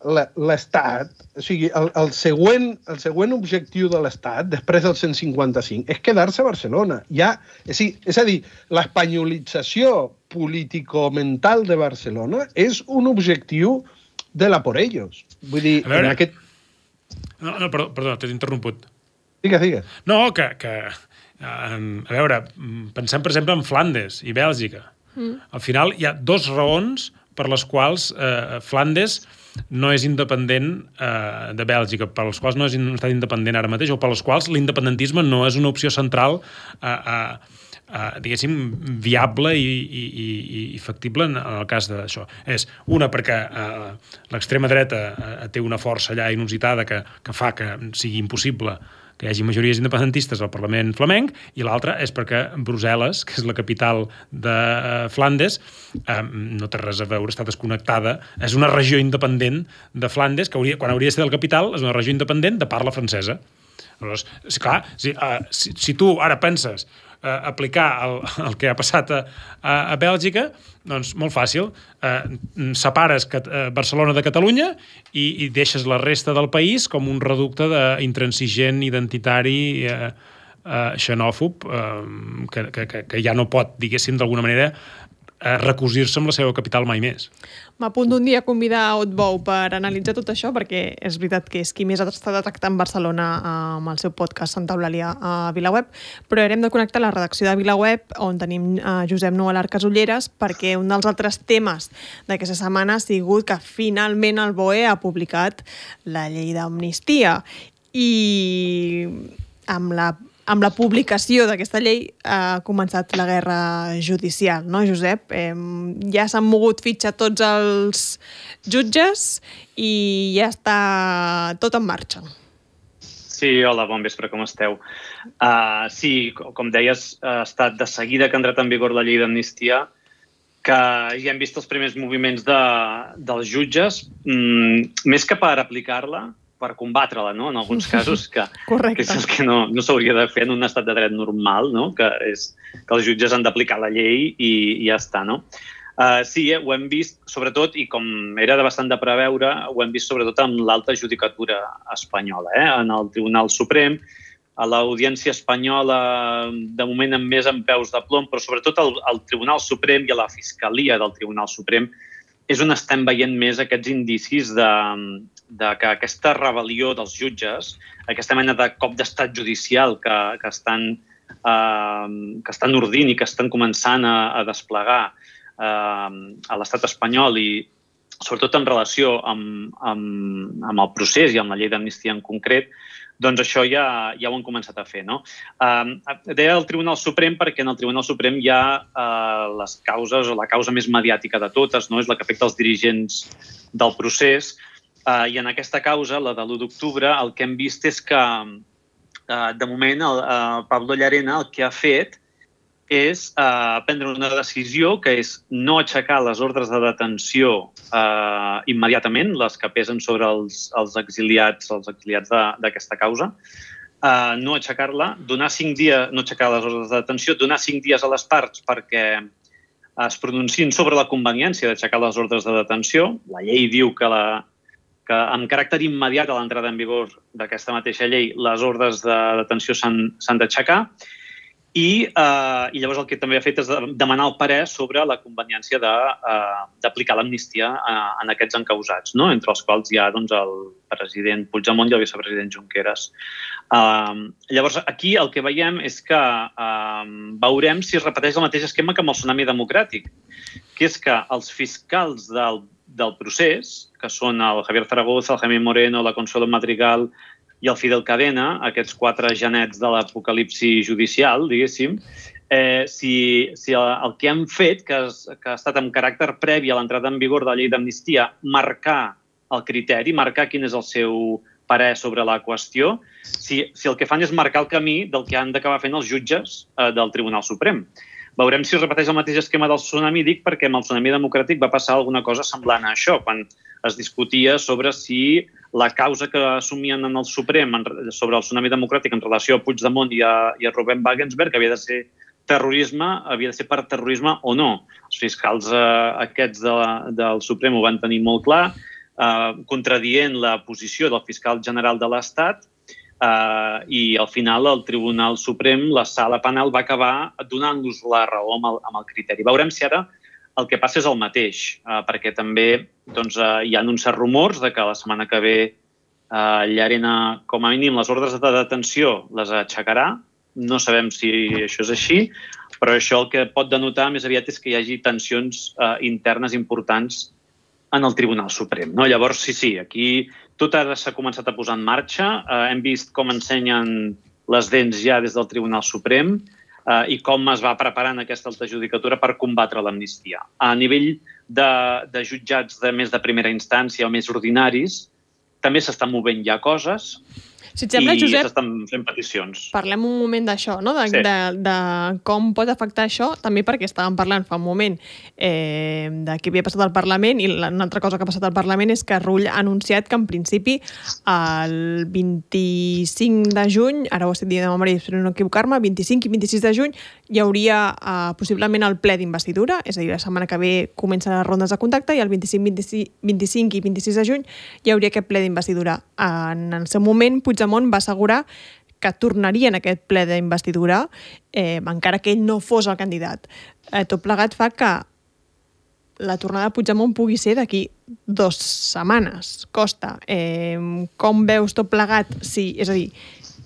l'Estat, o sigui, el següent objectiu de l'Estat, després del 155, és quedar-se a Barcelona. És a dir, l'espanyolització político-mental de Barcelona és un objectiu de la por ellos. Vull dir, en aquest... No, perdó, t'he interromput. Digues. No, que a veure, pensem, per exemple, en Flandes i Bèlgica. Al final hi ha dues raons per les quals Flandes no és independent de Bèlgica, per les quals no és un estat independent ara mateix, o per les quals l'independentisme no és una opció central diguéssim, viable i factible en el cas d'això. És una, perquè l'extrema dreta té una força allà inusitada que fa que sigui impossible que hi hagi majories independentistes al Parlament flamenc, i l'altra és perquè Brussel·les, que és la capital de Flandes, no té res a veure, està desconnectada, és una regió independent de Flandes, que quan hauria de ser del capital, és una regió independent de parla francesa. Llavors, clar, si tu ara penses aplicar el que ha passat a Bèlgica, doncs molt fàcil. Separes Barcelona de Catalunya i deixes la resta del país com un reducte intransigent, identitari, xenòfob, que ja no pot, diguéssim, d'alguna manera, recosir-se amb la seva capital mai més. M'apunto un dia a convidar a Otbou per analitzar tot això, perquè és veritat que és qui més ha estat tractant Barcelona amb el seu podcast Santa Eulàlia a VilaWeb, però hem de connectar la redacció de VilaWeb, on tenim Josep Nual Arcasolleres, perquè un dels altres temes d'aquesta setmana ha sigut que finalment el BOE ha publicat la llei d'amnistia, i amb la publicació d'aquesta llei ha començat la guerra judicial, no, Josep? Ja s'han mogut fitxa tots els jutges i ja està tot en marxa. Sí, hola, bon vespre, com esteu? Sí, com deies, ha estat de seguida que ha entrat en vigor la llei d'amnistia, que ja hem vist els primers moviments dels jutges, més que per aplicar-la, per combatre-la, no?, en alguns casos, que és el que no s'hauria de fer en un estat de dret normal, no?, que és que els jutges han d'aplicar la llei i ja està, no? Sí, ho hem vist, sobretot, i com era bastant de preveure, ho hem vist sobretot amb l'alta judicatura espanyola, en el Tribunal Suprem, a l'Audiència Espanyola, de moment amb més en peus de plom, però sobretot al Tribunal Suprem i a la Fiscalia del Tribunal Suprem, és on estem veient més aquests indicis de que aquesta rebel·lió dels jutges, aquesta mena de cop d'estat judicial que estan ordint i que estan començant a desplegar a l'estat espanyol, i sobretot en relació amb el procés i amb la llei d'amnistia en concret, doncs això ja ho han començat a fer, no? Deia el Tribunal Suprem perquè en el Tribunal Suprem hi ha les causes, o la causa més mediàtica de totes, no? És la que afecta els dirigents del procés, i en aquesta causa, la de l'1 d'octubre, el que hem vist és que, de moment, el Pablo Llarena el que ha fet és prendre una decisió que és no aixecar les ordres de detenció immediatament, les que pesen sobre els exiliats d'aquesta causa, no aixecar-la, no aixecar les ordres de detenció, donar 5 dies a les parts perquè es pronunciïn sobre la conveniència d'aixecar les ordres de detenció. La llei diu que amb caràcter immediat a l'entrada en vigor d'aquesta mateixa llei les ordres de detenció s'han d'aixecar. I llavors el que també ha fet és demanar el parer sobre la conveniència d'aplicar l'amnistia en aquests encausats, no? Entre els quals hi ha el president Puigdemont i el vicepresident Junqueras. Llavors, aquí el que veiem és que veurem si es repeteix el mateix esquema que amb el tsunami democràtic, que és que els fiscals del procés, que són el Javier Zaragoza, el Jaime Moreno, la Consuelo Madrigal i el Fidel Cadena, aquests 4 genets de l'apocalipsi judicial, diguéssim, si el que hem fet, que ha estat amb caràcter previ a l'entrada en vigor de la llei d'amnistia, marcar el criteri, marcar quin és el seu parer sobre la qüestió, si el que fan és marcar el camí del que han d'acabar fent els jutges del Tribunal Suprem. Veurem si es repeteix el mateix esquema del tsunami, dic perquè amb el tsunami democràtic va passar alguna cosa semblant a això, quan es discutia sobre si la causa que assumien en el Suprem sobre el tsunami democràtic en relació a Puigdemont i a Ruben Wagensberg havia de ser terrorisme, havia de ser per terrorisme o no. Els fiscals aquests del Suprem ho van tenir molt clar, contradient la posició del fiscal general de l'Estat, i al final el Tribunal Suprem, la sala penal, va acabar donant-los la raó amb el criteri. Veurem si ara el que passa és el mateix, perquè també hi ha uns certs rumors de que la setmana que ve Llarena, com a mínim, les ordres de detenció les aixecarà. No sabem si això és així, però això el que pot denotar més aviat és que hi hagi tensions internes importants en el Tribunal Suprem. Llavors, sí, aquí tot ara s'ha començat a posar en marxa. Hem vist com ensenyen les dents ja des del Tribunal Suprem i com es va preparant aquesta alta judicatura per combatre l'amnistia. A nivell de jutjats de més de primera instància o més ordinaris, també s'estan movent ja coses. Si et sembla, Josep, s'estan fent peticions. Parlem un moment d'això, no? De com pot afectar això, també perquè estàvem parlant fa un moment de què havia passat al Parlament, i una altra cosa que ha passat al Parlament és que Rull ha anunciat que en principi el 25 de juny, ara ho estic dient de memòria, espero no equivocar-me, 25 i 26 de juny hi hauria possiblement el ple d'investidura, és a dir, la setmana que ve comencen les rondes de contacte i el 25 i 26 de juny hi hauria aquest ple d'investidura. En el seu moment, Puigdemont va assegurar que tornaria en aquest ple d'investidura encara que ell no fos el candidat. Tot plegat fa que la tornada de Puigdemont pugui ser d'aquí 2 setmanes. Costa. Com veus tot plegat? Sí, és a dir,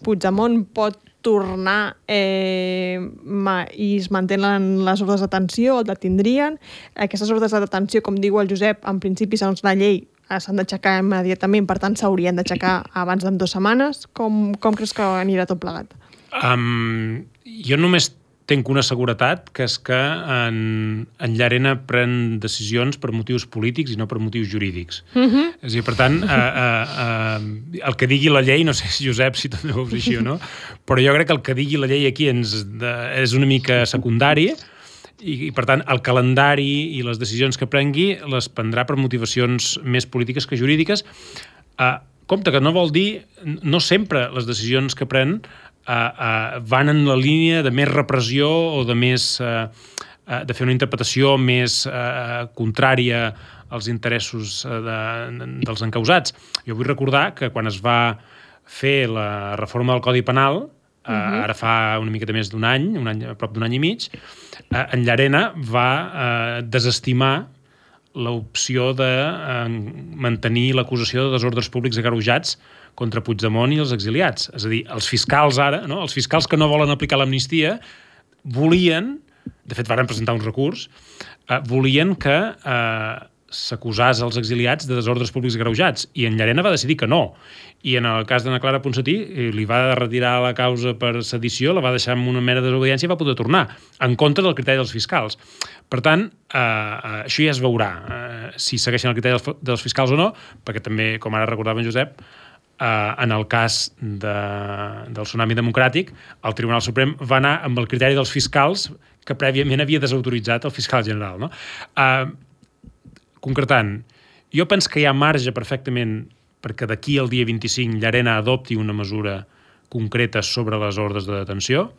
Puigdemont pot tornar i es mantenen les ordres d'atenció, el detindrien. Aquestes ordres de detenció, com diu el Josep, en principi, segons la llei, s'han d'aixecar immediatament, per tant s'haurien d'aixecar abans de 2 setmanes. Com creus que anirà tot plegat? Jo només tinc una seguretat, que és que en Llarena pren decisions per motius polítics i no per motius jurídics. És a dir, per tant, el que digui la llei, no sé, Josep, si també ho veus així o no, però jo crec que el que digui la llei aquí és una mica secundari, i per tant el calendari i les decisions que prengui les prendrà per motivacions més polítiques que jurídiques. Compte que no vol dir, no sempre les decisions que pren van en la línia de més repressió o de fer una interpretació més contrària als interessos dels encausats. Jo vull recordar que quan es va fer la reforma del Codi Penal, ara fa una miqueta més d'un any, a prop d'un any i mig, en Llarena va desestimar l'opció de mantenir l'acusació de desordres públics agreujats contra Puigdemont i els exiliats. És a dir, els fiscals ara, no? Els fiscals que no volen aplicar l'amnistia, volien, de fet varen presentar un recurs, volien que s'acusés els exiliats de desordres públics agreujats, i en Llarena va decidir que no. I en el cas d'Anna Clara Ponsatí li va retirar la causa per sedició, la va deixar amb una mera desobediència i va poder tornar, en contra del criteri dels fiscals. Per tant, això ja es veurà, si segueixen el criteri dels fiscals o no, perquè també, com ara recordava en Josep, en el cas del tsunami democràtic, el Tribunal Suprem va anar amb el criteri dels fiscals que prèviament havia desautoritzat el fiscal general. Concretant, jo penso que hi ha marge perfectament perquè d'aquí al dia 25 Llarena adopti una mesura concreta sobre les ordres de detenció.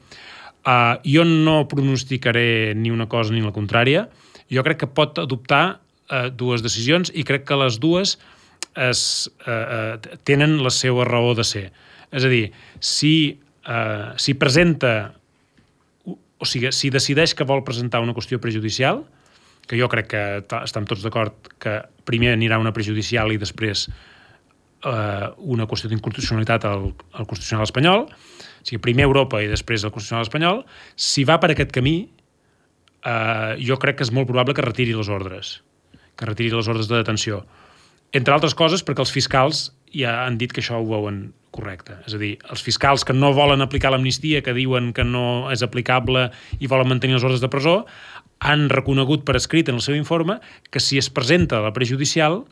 Jo no pronosticaré ni una cosa ni la contrària. Jo crec que pot adoptar 2 decisions i crec que les dues tenen la seva raó de ser. És a dir, si presenta, o sigui, si decideix que vol presentar una qüestió prejudicial, que jo crec que estem tots d'acord que primer anirà una prejudicial i després una qüestió d'inconstitucionalitat al Constitucional espanyol, o sigui, primer Europa i després el Constitucional espanyol, si va per aquest camí, jo crec que és molt probable que retiri les ordres de detenció. Entre altres coses perquè els fiscals ja han dit que això ho veuen correcte. És a dir, els fiscals que no volen aplicar l'amnistia, que diuen que no és aplicable i volen mantenir les ordres de presó, han reconegut per escrit en el seu informe que si es presenta la prejudicial,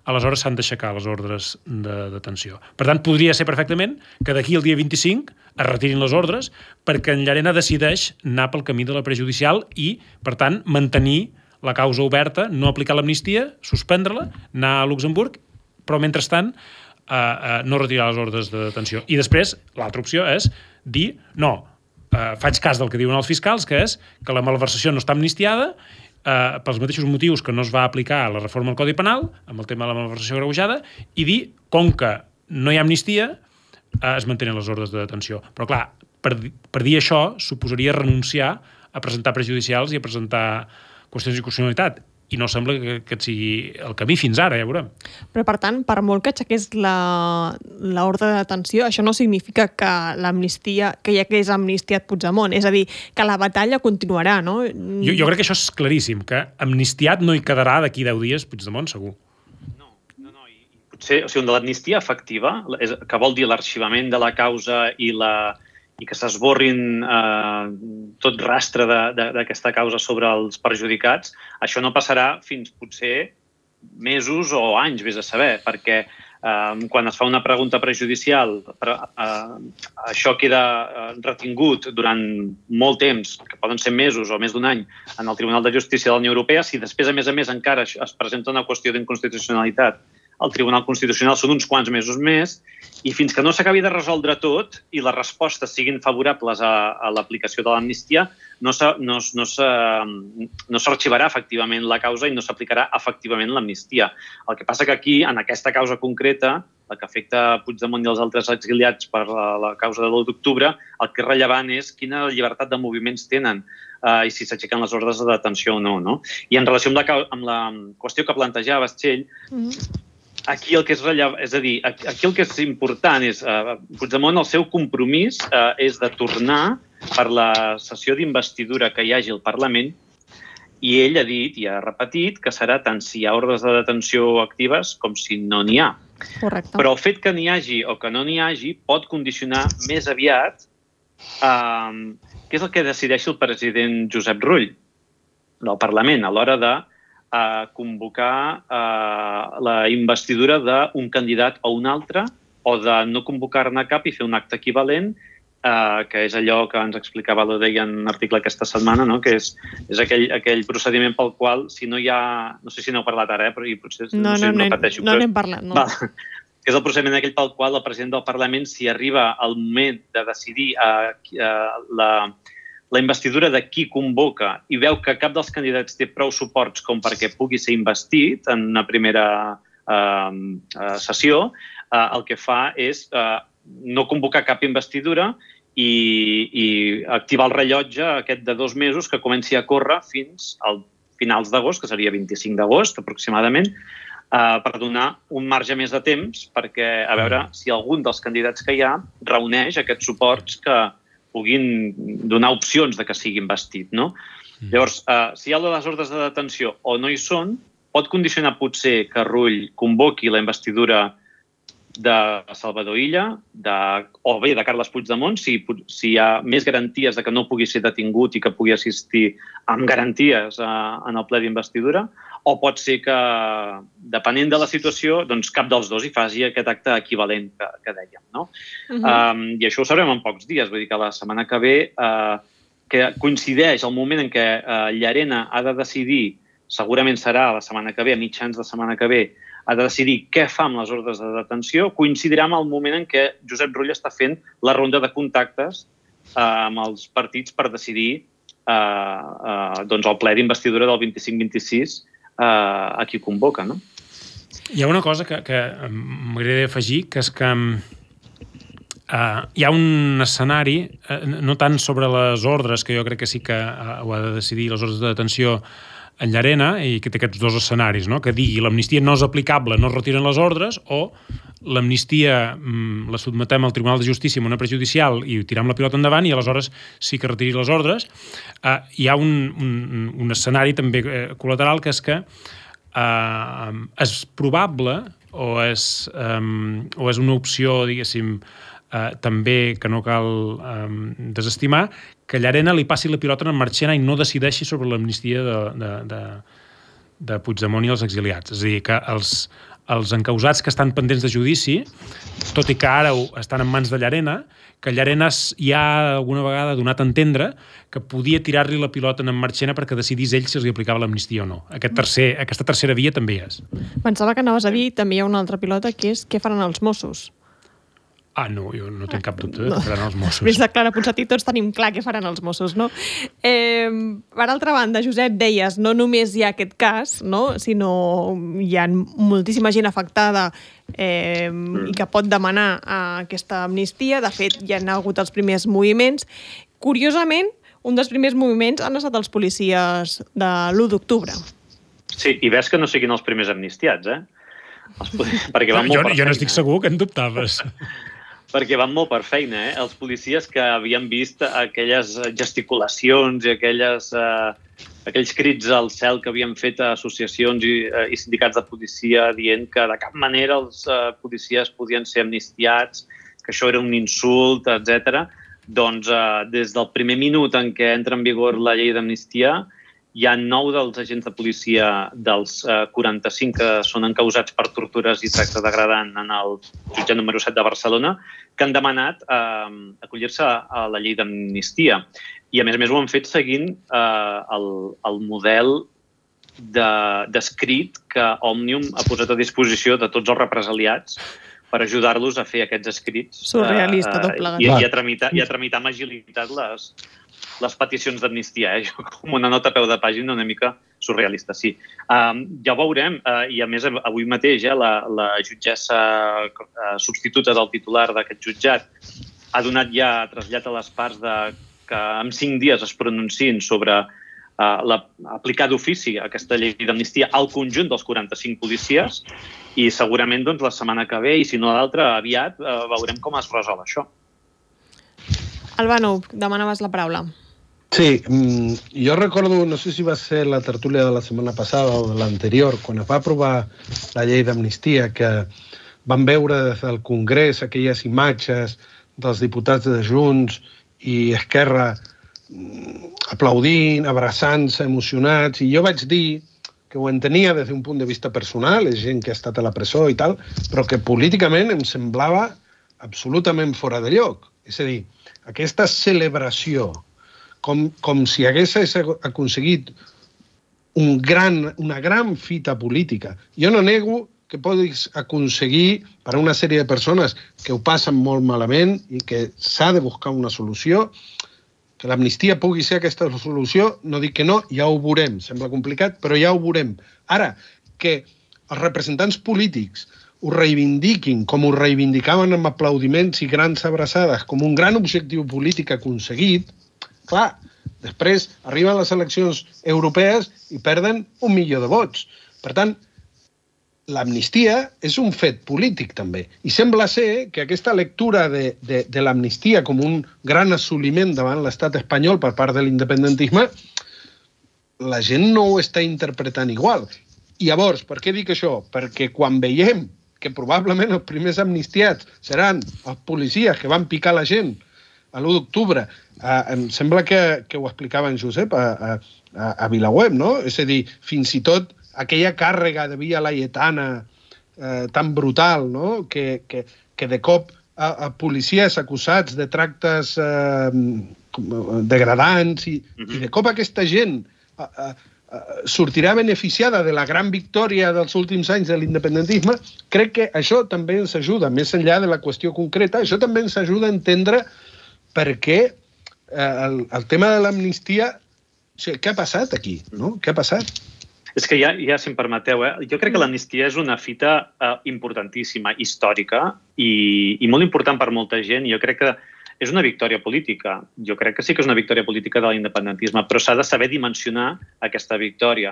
aleshores s'han d'aixecar les ordres de detenció. Per tant, podria ser perfectament que d'aquí al dia 25 es retirin les ordres perquè en Llarena decideix anar pel camí de la prejudicial i, per tant, mantenir la causa oberta, no aplicar l'amnistia, suspendre-la, anar a Luxemburg, però mentrestant no retirar les ordres de detenció. I després, l'altra opció és dir, no, faig cas del que diuen els fiscals, que és que la malversació no està amnistiada pels mateixos motius que no es va aplicar la reforma del Codi Penal, amb el tema de la malversació agreujada, i dir, com que no hi ha amnistia, es mantenen les ordres de detenció. Però, clar, per dir això, suposaria renunciar a presentar prejudicials i a presentar qüestions d'inconstitucionalitat. I no sembla que et sigui el camí fins ara, ja veurem. Però, per tant, per molt que aixequés l'ordre de detenció, això no significa que l'amnistia, que ja que és amnistiat Puigdemont. És a dir, que la batalla continuarà, no? Jo crec que això és claríssim, que amnistiat no hi quedarà d'aquí 10 dies Puigdemont, segur. No. I potser, o sigui, de l'amnistia efectiva, que vol dir l'arxivament de la causa i que s'esborrin tot rastre d'aquesta causa sobre els perjudicats, això no passarà fins potser mesos o anys, vés a saber, perquè quan es fa una pregunta prejudicial, això queda retingut durant molt temps, que poden ser mesos o més d'un any, en el Tribunal de Justícia de la Unió Europea. Si després, a més, encara es presenta una qüestió d'inconstitucionalitat al Tribunal Constitucional, són uns quants mesos més, i fins que no s'acabi de resoldre tot i les respostes siguin favorables a l'aplicació de l'amnistia, no s'arxivarà efectivament la causa i no s'aplicarà efectivament l'amnistia. El que passa que aquí, en aquesta causa concreta, la que afecta Puigdemont i els altres exiliats per la causa de l'1 d'octubre, el que és rellevant és quina llibertat de moviments tenen i si s'aixequen les ordres de detenció o no. I en relació amb la qüestió que plantejaves, Txell, aquí el que és rellevant, és a dir, aquí el que és important és Puigdemont, el seu compromís és de tornar per la sessió d'investidura que hi hagi al Parlament, i ell ha dit i ha repetit que serà tant si hi ha ordres de detenció actives com si no n'hi ha. Correcte. Però el fet que n'hi hagi o que no n'hi hagi pot condicionar més aviat què és el que decideixi el president Josep Rull del Parlament a l'hora de convocar la investidura d'un candidat o un altre, o de no convocar-ne cap i fer un acte equivalent, que és allò que ens explicava l'Odeia en un article aquesta setmana, que és aquell procediment pel qual, si no hi ha... No sé si n'heu parlat ara, però potser no repeteixo. No n'hem parlat, no. Que és el procediment aquell pel qual el president del Parlament, si arriba el moment de decidir la investidura de qui convoca i veu que cap dels candidats té prou suports com perquè pugui ser investit en una primera sessió, el que fa és no convocar cap investidura i activar el rellotge aquest de 2 mesos que comenci a córrer fins al finals d'agost, que seria 25 d'agost aproximadament, per donar un marge més de temps perquè a veure si algun dels candidats que hi ha reuneix aquests suports que puguin donar opcions de que sigui investit, no? Llavors, si hi ha les ordres de detenció o no hi són, pot condicionar potser que Rull convoqui la investidura de Salvador Illa o bé de Carles Puigdemont, si hi ha més garanties de que no pugui ser detingut i que pugui assistir amb garanties en el ple d'investidura, o pot ser que, depenent de la situació, doncs cap dels dos hi faci aquest acte equivalent que dèiem, no? I això ho sabrem en pocs dies, vull dir que la setmana que ve, que coincideix el moment en què Llarena ha de decidir, segurament serà la setmana que ve, a mitjans de setmana que ve, ha de decidir què fa amb les ordres de detenció, coincidirà amb el moment en què Josep Rull està fent la ronda de contactes amb els partits per decidir el ple d'investidura del 25-26 a qui convoca, no? Hi ha una cosa que m'agradaria afegir, que és que hi ha un escenari, no tant sobre les ordres, que jo crec que sí que ho ha de decidir, les ordres de detenció en Llarena, i que té aquests 2 escenaris, no? Que digui l'amnistia no és aplicable, no es retiren les ordres, o l'amnistia la sotmetem al Tribunal de Justícia amb una prejudicial i tirem la pilota endavant i aleshores sí que retiri les ordres. Hi ha un escenari també col·lateral, que és que és probable una opció, diguéssim, també que no cal desestimar, que Llarena li passi la pilota a Marchena i no decideixi sobre l'amnistia de Puigdemont i els exiliats. És a dir, que els encausats que estan pendents de judici, tot i que ara estan en mans de Llarena, que Llarena ja alguna vegada ha donat a entendre que podia tirar-li la pilota a Marchena perquè decidís ell si els aplicava l'amnistia o no. Aquesta tercera via també hi és. Pensava que anaves a dir, també hi ha una altra pilota, que és què faran els Mossos. No, jo no tinc cap dubte que faran els Mossos. Des de Clara Ponsatí tots tenim clar què faran els Mossos, no? Per altra banda, Josep, deies, no només hi ha aquest cas, no? Sinó hi ha moltíssima gent afectada i que pot demanar aquesta amnistia. De fet, hi ha hagut els primers moviments. Curiosament, un dels primers moviments han estat els policies de l'1 d'octubre. Sí, i ves que no siguin els primers amnistiats, Perquè van molt per feina. Jo no estic segur que en dubtaves. Perquè van molt per feina, Els policies que havien vist aquelles gesticulacions i aquells crits al cel que havien fet associacions i sindicats de policia dient que de cap manera els policies podien ser amnistiats, que això era un insult, etc. Doncs des del primer minut en què entra en vigor la llei d'amnistia, hi ha 9 dels agents de policia dels 45 que són encausats per tortures i tracte degradant en el jutjat número 7 de Barcelona, que han demanat acollir-se a la llei d'amnistia. I, a més ho han fet seguint el model d'escrit que Òmnium ha posat a disposició de tots els represaliats per ajudar-los a fer aquests escrits. Surrealista, tot plegat. I a tramitar amb agilitat les peticions d'amnistia, com una nota a peu de pàgina una mica surrealista, sí. Ja ho veurem, i a més avui mateix la jutgessa substituta del titular d'aquest jutjat ha donat ja trasllat a les parts que en 5 dies es pronunciïn sobre aplicar d'ofici aquesta llei d'amnistia al conjunt dels 45 policies i segurament la setmana que ve, i si no l'altra, aviat veurem com es resol això. Albano, demanaves la paraula. Sí, jo recordo, no sé si va ser la tertúlia de la setmana passada o de l'anterior, quan es va aprovar la llei d'amnistia, que vam veure des del Congrés aquelles imatges dels diputats de Junts i Esquerra aplaudint, abraçant-se, emocionats, i jo vaig dir que ho entenia des d'un punt de vista personal, és gent que ha estat a la presó i tal, però que políticament em semblava absolutament fora de lloc. És a dir, aquesta celebració, com si hagués aconseguit una gran fita política. Jo no nego que podis aconseguir per a una sèrie de persones que ho passen molt malament i que s'ha de buscar una solució, que l'amnistia pugui ser aquesta solució, no dic que no, ja ho veurem. Sembla complicat, però ja ho veurem. Ara, que els representants polítics ho reivindiquin com ho reivindicaven amb aplaudiments i grans abraçades, com un gran objectiu polític aconseguit, clar, després arriben les eleccions europees i perden 1 milió de vots. Per tant, l'amnistia és un fet polític, també. I sembla ser que aquesta lectura de l'amnistia com un gran assoliment davant l'estat espanyol per part de l'independentisme, la gent no ho està interpretant igual. I llavors, per què dic això? Perquè quan veiem que probablement els primers amnistiats seran els policies que van picar la gent a l'1 d'octubre, em sembla que ho explicava en Josep a VilaWeb, no? És a dir, fins i tot aquella càrrega de Via Laietana tan brutal, no? Que de cop a policies acusats de tractes degradants i de cop aquesta gent sortirà beneficiada de la gran victòria dels últims anys de l'independentisme, crec que això també ens ajuda, més enllà de la qüestió concreta, això també ens ajuda a entendre per què el tema de l'amnistia, o sigui, què ha passat aquí, no? Què ha passat? És que ja si em permeteu, jo crec que l'amnistia és una fita importantíssima, històrica i molt important per molta gent. Jo crec que és una victòria política. Jo crec que sí que és una victòria política de l'independentisme, però s'ha de saber dimensionar aquesta victòria.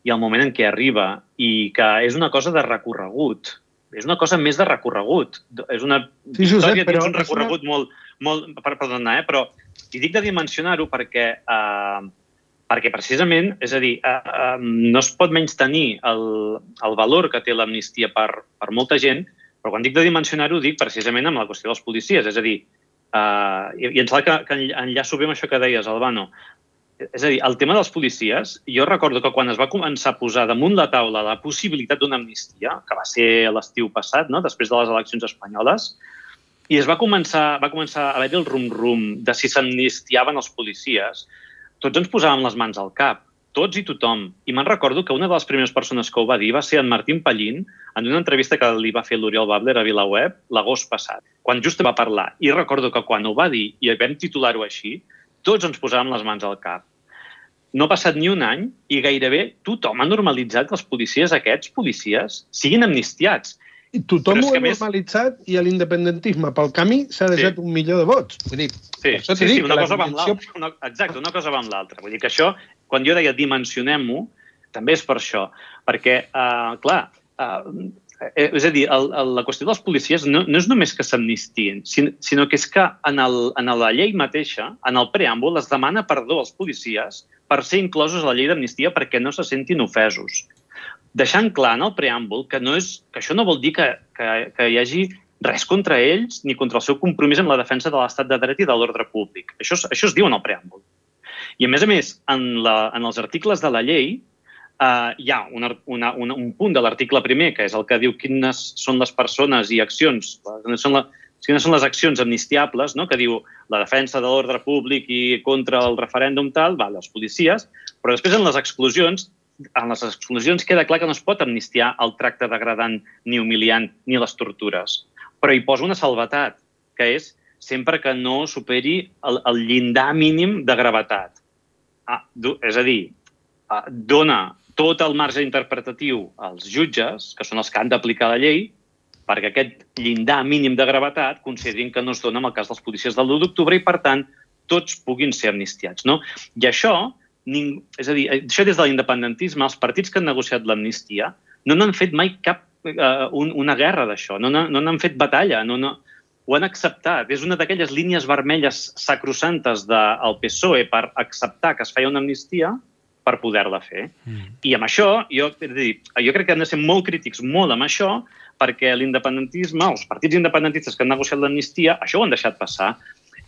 I el moment en què arriba, i que és una cosa de recorregut, és una cosa més de recorregut. És una victòria dins un recorregut molt... Perdona, però i dic de dimensionar-ho perquè Perquè precisament, és a dir, no es pot menystenir el valor que té l'amnistia per molta gent, però quan dic de dimensionar-ho dic precisament amb la qüestió dels policies. És a dir, i em sembla que enllaço bé amb això que deies, Albano. És a dir, el tema dels policies, jo recordo que quan es va començar a posar damunt la taula la possibilitat d'una amnistia, que va ser l'estiu passat, no? Després de les eleccions espanyoles, i va començar a haver-hi el rum-rum de si s'amnistiaven els policies, tots ens posàvem les mans al cap, tots i tothom. I me'n recordo que una de les primeres persones que ho va dir va ser en Martín Pallín, en una entrevista que li va fer l'Oriol Babler a VilaWeb l'agost passat, quan just va parlar. I recordo que quan ho va dir i vam titular-ho així, tots ens posàvem les mans al cap. No ha passat ni un any i gairebé tothom ha normalitzat que els policies siguin amnistiats. I tothom ho ha normalitzat i l'independentisme pel camí s'ha deixat 1 milió de vots. Vull dir, sí, una cosa va amb l'altra. Exacte, una cosa va amb l'altra. Vull dir que això, quan jo deia dimensionem-ho, també és per això. Perquè, clar, és a dir, la qüestió dels policies no és només que s'amnistien, sinó que és que en la llei mateixa, en el preàmbul, es demana perdó als policies per ser inclosos a la llei d'amnistia perquè no se sentin ofesos. Deixant clar en el preàmbul que això no vol dir que hi hagi res contra ells ni contra el seu compromís amb la defensa de l'estat de dret i de l'ordre públic. Això es diu en el preàmbul. I, a més, en els articles de la llei hi ha un punt de l'article primer, que és el que diu quines són les persones i accions, quines són les accions amnistiables, no? Que diu la defensa de l'ordre públic i contra el referèndum tal, els policies, però després en les exclusions queda clar que no es pot amnistiar el tracte degradant ni humiliant ni les tortures. Però hi posa una salvetat, que és sempre que no superi el llindar mínim de gravetat. És a dir, dona tot el marge interpretatiu als jutges, que són els que han d'aplicar la llei, perquè aquest llindar mínim de gravetat considerin que no es dona en el cas dels policies del 1 d'octubre i, per tant, tots puguin ser amnistiats. I això, és a dir, això des de l'independentisme, els partits que han negociat l'amnistia no n'han fet mai cap una guerra d'això, no n'han fet batalla, ho han acceptat. És una d'aquelles línies vermelles sacrosantes del PSOE per acceptar que es feia una amnistia per poder-la fer. I amb això, jo crec que hem de ser molt crítics, molt amb això, perquè l'independentisme, els partits independentistes que han negociat l'amnistia, això ho han deixat passar.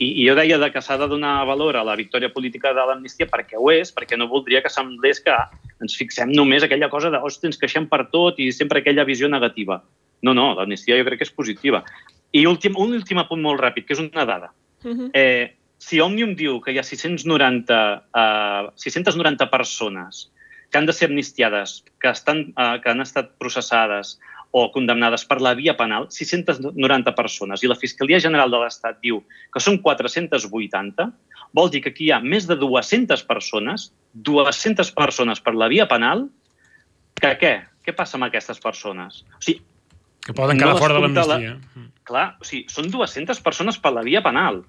I jo deia que s'ha de donar valor a la victòria política de l'amnistia perquè ho és, perquè no voldria que semblés que ens fixem només aquella cosa de ens queixem per tot i sempre aquella visió negativa. No, l'amnistia jo crec que és positiva. I un últim apunt molt ràpid, que és una dada. Si Òmnium diu que hi ha 690 persones que han de ser amnistiades, que han estat processades o condemnades per la via penal, 690 persones, i la Fiscalia General de l'Estat diu que són 480, vol dir que aquí hi ha més de 200 persones per la via penal, que què? Què passa amb aquestes persones? O sigui, que poden quedar fora de l'amnistia. Clar, o sigui, són 200 persones per la via penal.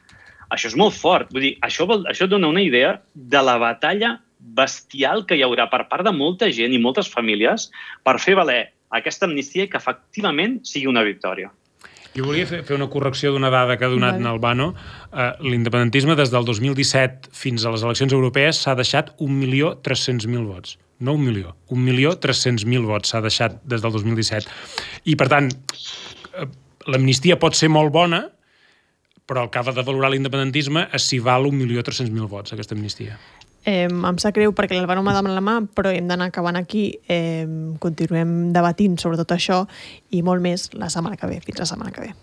Això és molt fort. Vull dir, això dona una idea de la batalla bestial que hi haurà per part de molta gent i moltes famílies per fer valer aquesta amnistia i que efectivament sigui una victòria. Jo volia fer una correcció d'una dada que ha donat en Albano. L'independentisme des del 2017 fins a les eleccions europees s'ha deixat 1.300.000 vots. No 1 milió, 1.300.000 vots s'ha deixat des del 2017. I, per tant, l'amnistia pot ser molt bona, però el que ha de valorar l'independentisme és si val 1.300.000 vots, aquesta amnistia. Em sap greu perquè l'Alvaro m'ha demanat la mà, però hem d'anar acabant aquí. Continuem debatint sobre tot això i molt més la setmana que ve. Fins la setmana que ve.